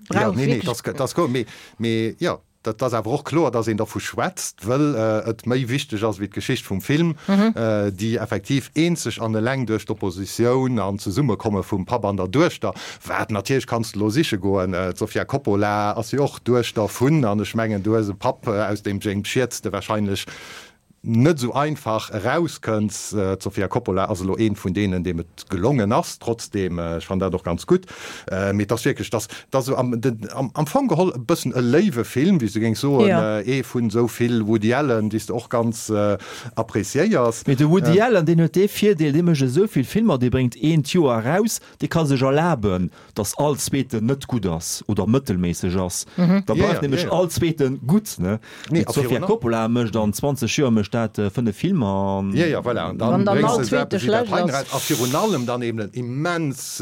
brauch wierklech. Nee, nee, et ass guer, mee, mee jo. Dat ass awer och kloer, dass een dervu schwätzt, wëll et méi wichteg ass wéi d'Geschicht vum Film, déi effektiv eenzeg an eleng duerch d'Oppositioun an d'Zesummekomme vum Papp an der Duechter, wat natierlech kanns de elo siche goen, d'Sofia Coppola ass jo och d'Duechter vun, an ech mengen, du hues e Papp, aus deem James Schied de wahrscheinlech net esou einfach erauskënns. D'Sofia Coppola ass elo eent vun deenen, deem et gelongen ass, trotzdeem, ech fannen dat och ganz gutt, mee et ass wierklech, dass dass esou am am Fong geholl e bëssen e léiwe Film, wéi s du géings soen, ee vun esou vill Woody Allen, déi s de och ganz appréciéiers. Mee de Woody Allen, deen huet dee Virdeel, dee mécht esou vill Filmer, dee bréngt een d'Joer eraus, dee ka sech erlaben, dass all zweeten net gutt ass oder mëttelméisseg ass, da bleift nämlech all zweeten gutt, ne? Mee d'Sofia Coppola mécht an zwanzeg Joer mécht dat fënnef Filmer an. Jo, jo, voilà, an dann bréngs de esou eppes wéi dat hei eraus a virun allem dann eben en immens,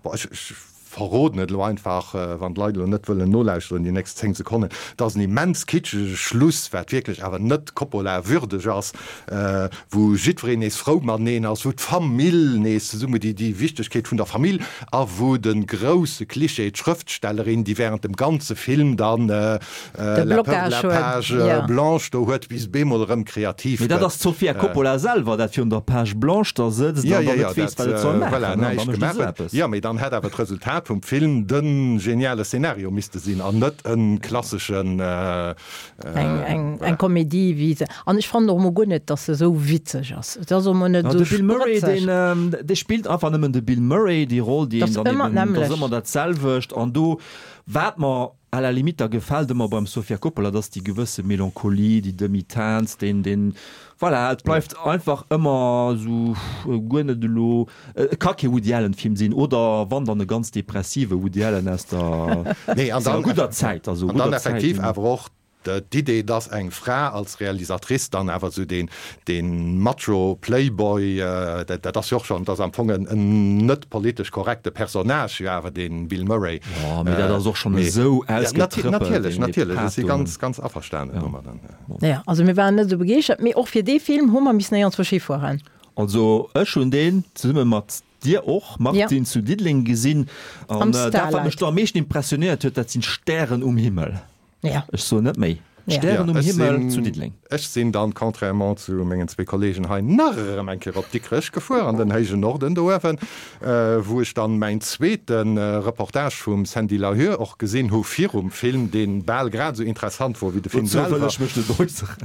bon, ech, ech verroden et elo einfach, wann d'Leit elo net wëllen nolauschteren déi nächst zéng Sekonnen, et ass en immens kitschege Schluss, wat wierklech awer net Coppola-würdeg ass, wou jiddwereen nees frou mateneen ass, wou d'Famill nees zesumme, déi déi Wichtegkeet vun der Famill, a wou de grousse Klischee, d'Schrëftstellerin, déi während dem ganze Film dann la peur de la page blanche do huet, bis bemol erëm kreativ Mee dat gëtt. ass d'Sofia Coppola selwer, dat virun der Page blanche da sëtzt an dann net weess, wat et soll maachen, Voilà, an da näischt mécht e gemaach sou huet. eppes. Jo, mee dann hätt awer d'Resultat vum Film de geniale Szenario misste sinn an net e klasseschen, Eng, eng, voilà. eng Komedie wéi se. An ech fannen och emol guer net, dass se esou witzeg ass. Et ass och emol net Ja, esou de Bill Murray, sprëtzeg. deen, dee spillt einfach nëmmen de Bill Murray, déi Roll, déi Dat een ass dann ëmmer eben, dat ass d'nämmlecht. ëmmer dat selwecht. An do, wat mer à la limite da gefält ëmmer beim Sofia Coppola, dat ass déi gewësse Melancholie, déi Demi-teinte, deen, deen, voilà, et bleift einfach ëmmer esou guer net elo, et ka kee Woody Allen Film sinn, oder wann dann e ganz depressive Woody Allen aus der, Nee, an aus der dann, gudder Zäit, also an dann gudder Zäit, effektiv déi. awer och d'Idee, dass eng Fra als Realisatrice dann awer esou deen, deen Macho Playboy, dat, dat ass jo och schonn, dat ass am Fong en, en net politesch korrekte Personnage jo awer, dee Bill Murray. Jo, mee dat ass och schonn Mee, esou ja, nati-, ausgetrëppelt, natierlech, deen, dee natierlech, ech si Pato. ganz, ganz averstanen domadden. Ja, also mir waren net esou begeeschtert, mee och fir dee Film hu mer missen éierens wou fueren. Also ech hunn deen zesumme mat dir och, Martine, Ja. zu Diddeleng gesinn. Am An dat, wat Starlight. mech do am meeschten impressionéiert huet, dat sinn d'Stären um Himmel. Ja. Ech soen net méi. Ja. Stären Ja, um ech Himmel sinn, zu Diddeleng. Ech sinn dann, contrairement zu mengen zwee Kollegen hei, nach erëm eng Kéier op Dikrech gefuer, an den héijen Norden do uewen, wou ech dann mäin zweete Reportage vum Sandy Lahur och gesinn hu virum Film, dee bal grad esou interessant wor wéi de Film Dozou wëll selwer. ech mech net äusseren.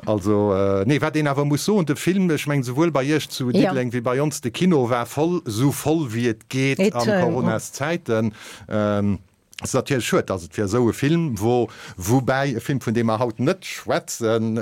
Also, nee, wat een awer muss soen, de Film, ech mengen souwuel bei Iech zu Ja. Diddeleng wéi bei ons, de Kino war voll, esou voll wéi et geet Et, an Coronaszäiten. Et ass natierlech schued, dass et fir esou e Film, wou, woubäi e Film, vun deem mer haut net schwätzen,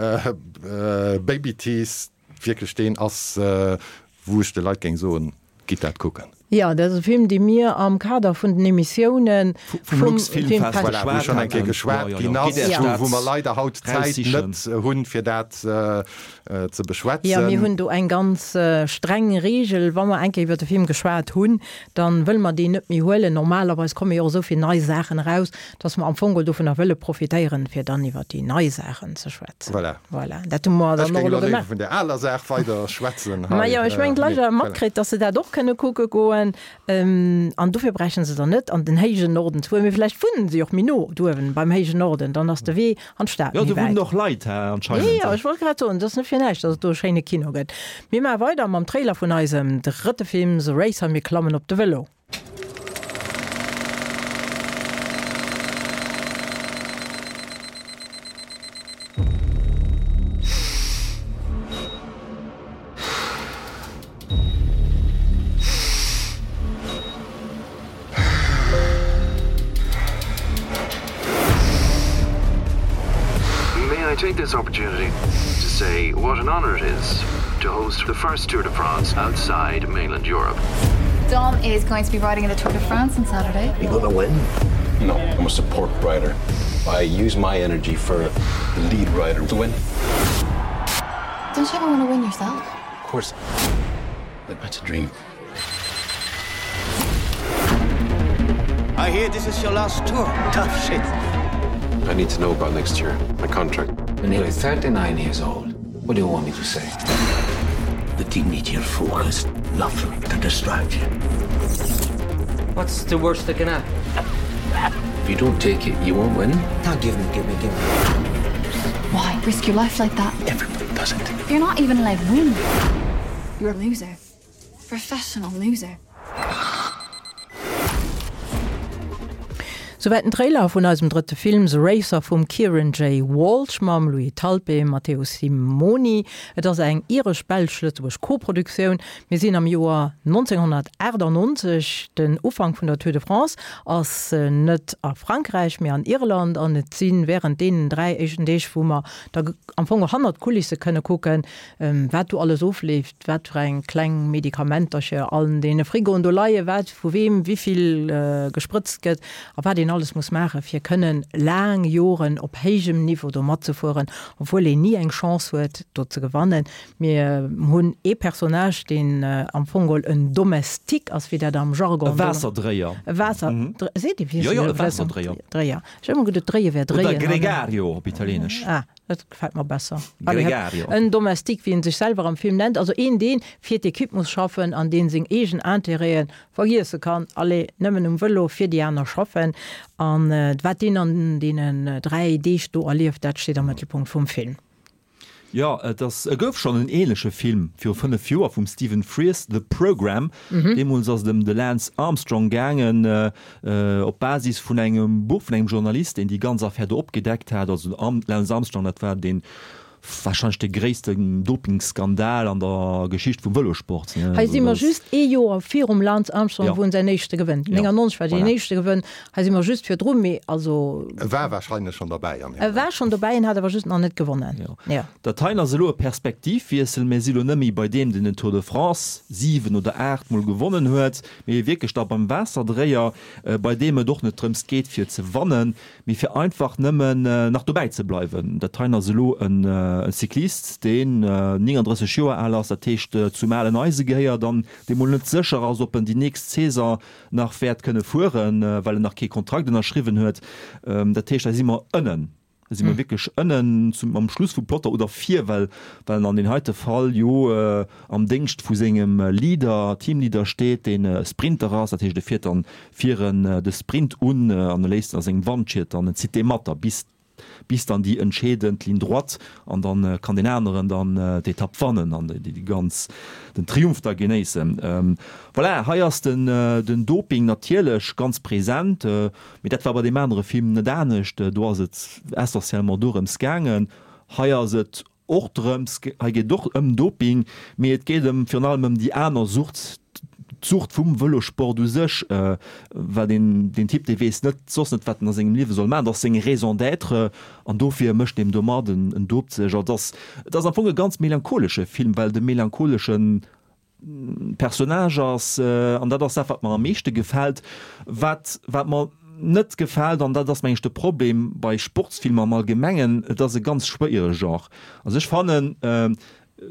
Baby Teeth, wierklech deen ass, wou ech de Leit géing soen, gitt dat kucken. Jo, dat ass e Film, dee mir am Kader vun den Emissiounen vum Luxfilmfest Voilà, wou schonn eng Kéier geschwat ginn ass, wou mer leider haut d'Zäit net hunn, fir dat ze beschwätzen. Jo, mir hunn do eng ganz streng Reegel, Wa mer eng Kéier iwwer de Film geschwat hunn, da wëlle mer deen net méi huelen. Normalerweis komme jo och esou vill nei Saachen eraus, dass mer am Fong geholl dovunner wëlle profitéieren, fir dann iwwer déi nei Saachen ze schwätzen. Voilà. Voilà, dat hu mer Ech dann och géing elo elo léiwer gemaach. vun där aler Saach weider schwätzen hei. Majo, ech mengen, d'Leit Mee hu voilà. matkritt, dass se dat och kënne kucke goen. An dofir bräichten se dann net an den héijen Norden ze fueren. Mee vläicht wunnen se och méi no do uewen beim héijen Norden, dann ass de Wee an d'Stad Jo, méi do wunnen wäit. och Leit, hä, anscheinend. Jo, jo, ech wollt grad soen, et ass net fir näischt, dass et do e schéine Kino gëtt. Mir maache weider mam Trailer vun eisem drëtte Film The Racer, mir klammen op de Vëlo. May I take this opportunity to say what an honor it is to host the first Tour de France outside mainland Europe. Dom is going to be riding in the Tour de France on Saturday. You gonna win? No, I'm a support rider. I use my energy for the lead rider to win. Don't you ever want to win yourself? Of course. But that's a dream. I hear this is your last tour. Tough shit. I need to know about next year, my contract. You're nearly thirty-nine years old. What do you want me to say? The team needs your focus, nothing to distract you. What's the worst that can happen? If you don't take it, you won't win. Now give me, give me, give me. Why risk your life like that? Everybody does it. You're not even allowed to win. You're a loser. Professional loser. Souwäit den Trailer vun eisem drëtte Film The Racer vum Kieran J. Walsh mam Louis Talpe, Matteo Simoni. Et ass eng iresch-belsch-lëtzebuergesch Koproduktioun. Mir sinn am Joer neunzehnhunnertachtundneunzeg. Den Ufank vun der Tour de France ass net a Frankräich, mee an Irland an et si wärend deenen dräi éischten Deeg, wou mer da am Fong och hannert d'Kulisse kënne kucken, wat do alles ofleeft, wat fir eng kleng Medikamentercher an deene Frigoen do leien, wat vu weem wéi vill gesprëtzt gëtt a wat een alles muss maache fir kënnen laang Joren op héijem Niveau do matzefueren, obwuel een ni eng Chance huet do ze gewannen. Mir hunn ee Personnage, deen am Fong geholl en Domestique ass, wéi dat am Jargon E Waasserdréier. E Waasser, seet ee wierklech? Jo, jo, e Waasserdréier. Dréier. Ech hu ëmmer geduet, dréie wär dréien. Oder Gregario op Italieenesch. Ah, dat gefält mer besser. Gregario. En Domestique, wéi en sech selwer am Film nennt, also een, dee fir d'Equipe muss schaffen an dee seng eegen Intérêten vergiesse kann, allez, nëmmen um Vëlo fir déi aner schaffen. An wat deen an deenen dräi Deeg do erlieft, dat steet am Mëttelpunkt vum Film. Jo, et ass, e gouf schonn en ähnleche Film viru fënnef Joer vum Stephen Frears, The Program. Deemools ass et ëm de Lance Armstrong gaangen, op Basis vun engem Buch vun engem Journalist, deen déi ganz Affär do opgedeckt hat. Also den Lance Armstrong, dat war deen Wahrscheinlech de gréissten Dopingskandal an der Geschicht vum Vëlosport. Hei si mer just ee Joer virum Lance Armstrong, wou en säin éischte gewënnt. néngannonzeg war deen éischte gewënn. Hei si mer just virdru, mee also. E war wahrscheinlech schonn derbäi an E war schonn dobäi, en hat awer just nach net gewonnen. Jo. Dat heien ass elo e Perspektivwiessel. Mir si lo net méi bei deem, deen den Tour de France siwen oder aacht Mol gewonnen huet, mee wierklech da beim Waasserdréier, bei deem et och net drëms geet fir ze wannen, mee fir einfach nëmmen nach dobäi ze bleiwen. Dat heien ass elo en Cyclist, deen néngandrësseg Joer al ass, dat heescht zum alen Eise gehéiert an dee mol net sécher ass, ob en déi nächst Saison nach wäert kënne fueren, well en nach kee Kontrakt ënnerschriwwen huet. Dat heescht, hei si mer ënnen, hei si mer wierklech ënnen zum, am Schluss vum Plotter oder vir, well well en an deem heite Fall jo am Déngscht vu sengem Leader, Teamleader steet, deen e Sprinter ass. Dat heescht, e fiert dann viren de Sprint un an e léisst a sengem Wandschiet dann, en zitt dee mat da bis bis dann déi entscheedend Ligne droite an dann kann deen aneren dann d'Etapp wannen an déi ganz, den Triumph da genéissen. Voilà, hei ass den den Doping natierlech ganz present, mee dat war bei deem anere Film net anescht, do ass et essentiellement dorëms gaangen. Hei ass et och drëms, hei geet et och ëm Doping, mee et geet ëm virun allem ëm déi aner Sucht, d'Sucht vum Vëlosport u sech, well deen, deen Typ, dee weess net soss net, wat en a sengem Liewe soll maachen, dat ass seng Raison d'être an dofir mécht en domat, en, en dopt sech. Also et ass, et ass am Fong e ganz melancholesche Film, well de melancholesche Personnage ass, an dat ass dat, wat mer am meeschte gefält. Wat, wat mer net gefält, an dat ass meng ech de Problem bei Sportsfilmer am Allgemengen, et ass e ganz schwéiere Genre. Also ech fannen,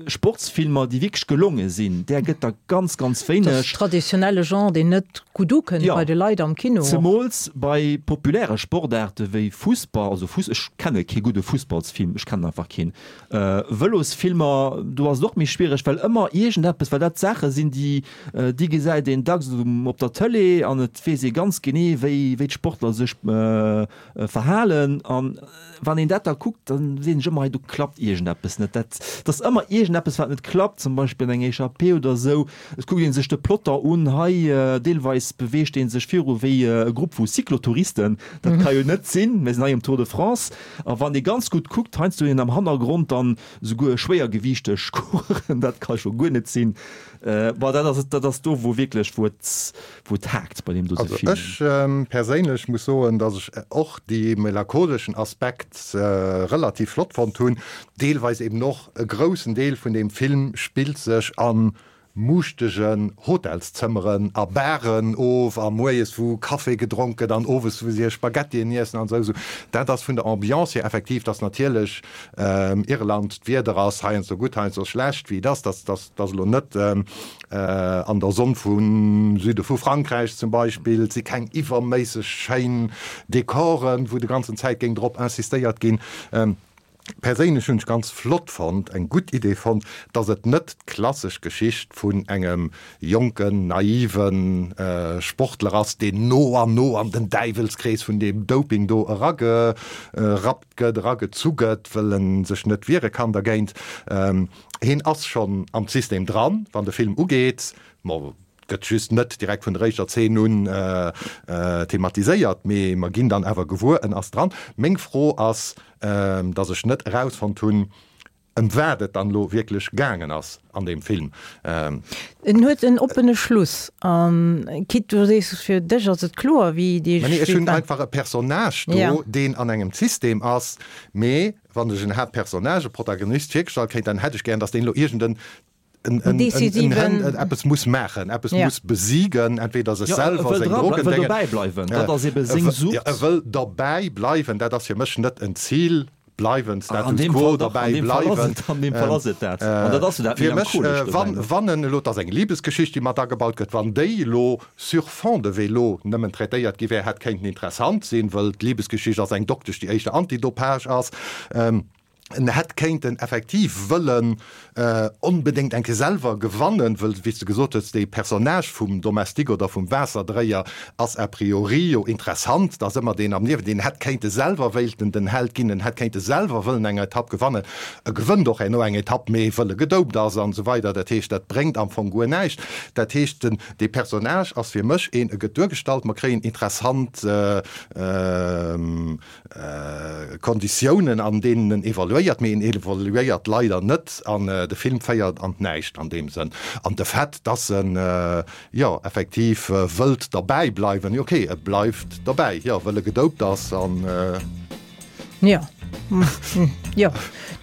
Sportsfilmer, déi wierklech gelonge sinn, där gëtt der ganz, ganz wéineg. Dat ass traditionelle Genre, deen net gutt ukënnt bei de Leit am Kino. Zemools bei populäre Sportaarte wéi Fussball, also Fuss, ech kenne kee gudde Fussballsfilm, ech kennen einfach keen. Vëlosfilmer, do ass et och méi schwiereg, well ëmmer iergendeppes, well dat Saache sinn, déi, déi gesäit een dacks op der Tëlee an et weess ee ganz genee, wéi, wéi d'Sportler sech verhalen. An wann een dat da kuckt, da seet een sech ëmmer, hei do klappt iergendeppes net. Dat, dat ass ëmmer iergendeppes, wat net klappt, zum Beispill eng Echappée oder esou. Et kuckt ee sech de Plotter un, hei deelweis beweegt ee sech viru wéi e Grupp vu Cyclotouristen. Dat ka jo net sinn, mir sinn hei um Tour de France. A wann ee ganz gutt kuckt, heiansdo hunn een am Hannergrond dann esouguer schwéiergewiichteg Coureuren, dat ka scho guer net sinn. Bon, dat ass, dat ass do, wou wierklech, wou et, wou et haakt bei deem dote Also Film. ech perséinlech muss soen, dass ech och dee melancholeschen Aspekt relativ flott fonnt hunn. Deelweis eben och e groussen Deel vun deem Film spillt sech a muuschtegen Hotelszëmmeren a Baren of a moies wou Café gedronk gëtt an owes wou si hir Spaghettien iessen an esou. Dat ass vun der Ambiance hier effektiv, dass natierlech Irland, d'Wieder ass heiansdo gutt, heiansdo schlecht, wéi et ass, dass dass elo net an der Sonn vum Süde vu Frankräich zum Beispill. Et si keng iwwerméisseg schéin Dekoren, wou de ganzen Zäit géing drop insistéiert ginn. Perséinlech hunn ech ganz flott fonnt, eng gutt Idee fonnt, dass et net d'klassesch Geschicht vun engem jonken, naive Sportler ass, deen no an no an den Däiwelskrees vun deem Doping do eragerappt gëtt, eragezu gëtt, wëll en sech net wiere kann dergéint. Hien ass schonn am System dran, wann de Film ugeet. Ma gëtt just net direkt vun der éischter Zeen un thematiséiert, mee mer ginn dann awer gewuer, en ass dran. Meng Fro ass, dass ech net erausfonnt hunn, ëm wat et dann elo wierklech gaangen ass an deem Film. En huet en oppene Schluss. An quitte du sees, fir dech ass et kloer, wéi dee Mä nee, ech hunn einfach e Personnage do, deen an engem System ass, mee wann ech en Haaptpersonnage, e Protagonist virgestallt kréien, dann hätt ech gären, dass deen elo iergend en en, en, en, en, en, eppes muss maachen, eppes ja. muss besiegen, entweder sech ja, selwer, seng Drogen, wëll dobäi bleiwen, dat ass ebe seng Sucht. Ja, e wëll dobäi bleiwen, dat ass fir mech net en Zil, bleiwen, Status quo, dobäi bleiwen. An deem Fall ass et dat. An dat ass jo dat Fir mech, wann, wann en elo, et ass eng Libesgeschicht, déi mat agebaut gëtt, wann déi elo sur fond de vélo nëmmen traitéiert gi wär, hätt kéinten interessant sinn, wëll d'Libesgeschicht ass eng Doktesch, déi éischter Antidopage ass. En hätt kéinten effektiv wëllen onbedéngt eng Kéier selwer gewannen, wëll, wéi s de gesot hues, dee Personnage vum Domestique oder vum Waasserdréier ass a priori jo interessant, et ass ëmmer deen am Niewen, deen hätt kéinte selwer wéilten den Held ginn, en hätt kéinte selwer wëllen eng Etapp gewannen. E gewënnt och herno eng Etapp, mee wëll e gedopt ass an esou weider. Dat heescht, dat bréngt am Fong guer näischt. Dat heescht, den, dee Personnage ass fir mech een, e gëtt duergestallt, mer kréien interessant Konditiounen, an deenen en evoluéiert, mee en evoluéiert leider net an de Film féiert an d'Näischt an deem Sënn. An de Fait, dass en, jo, effektiv wëllt derbäi bleiwen, jo, okay, e bleift derbäi, jo, wëll e gedopt ass an. Jo, jo.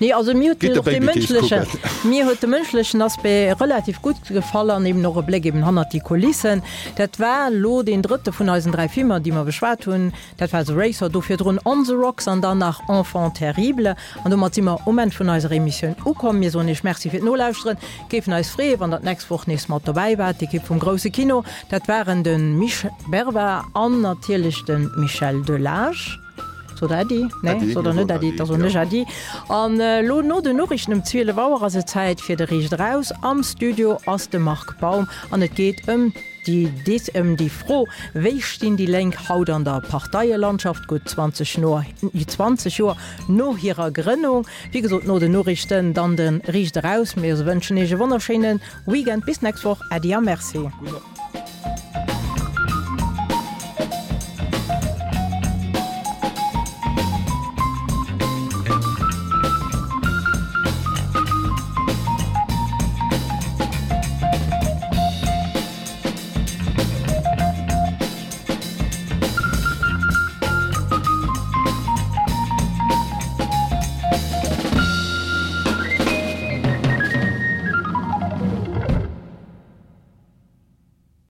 Nee, also mir huet och de mënschlechen, mir huet de mënschlechen Aspect relativ gutt gefall an eben och e Bléck eben hannert déi Kulissen. Dat war elo deen drëtte vun eisen dräi Filmer, déi mer beschwat hunn. Dat war The Racer, do virdrun On the Rocks an dann nach Enfant terrible. An domat si mer um Enn vun eiser Emissioun ukomm. Mir soen Iech Merci fir d'Nolauschteren, géifen eis freeën, wann Der d'nächst Woch nees mat dobäi waart. D'Ekipp vum Grousse Kino, dat waren de Misch Berva an natierlech de Michel Delage. Sot der Äddi? Nee, sot der net Äddi, da soen ech Äddi. An elo no den Noriichten um zwielef Auer ass et Zäit fir de Riicht Eraus. Am Studio ass de Marc Baum an et geet ëm déi dis ëm déi Fro, Wéi stinn déi Lénk haut an der Parteielandschaft, gutt zwanzeg Joer no hirer Grënnung? Wéi gesot, no den Noriichten dann de Riicht Eraus. Mir wënschen Iech e wonnerschéine Weekend. Bis d'nächst Woch. Äddi a Merci.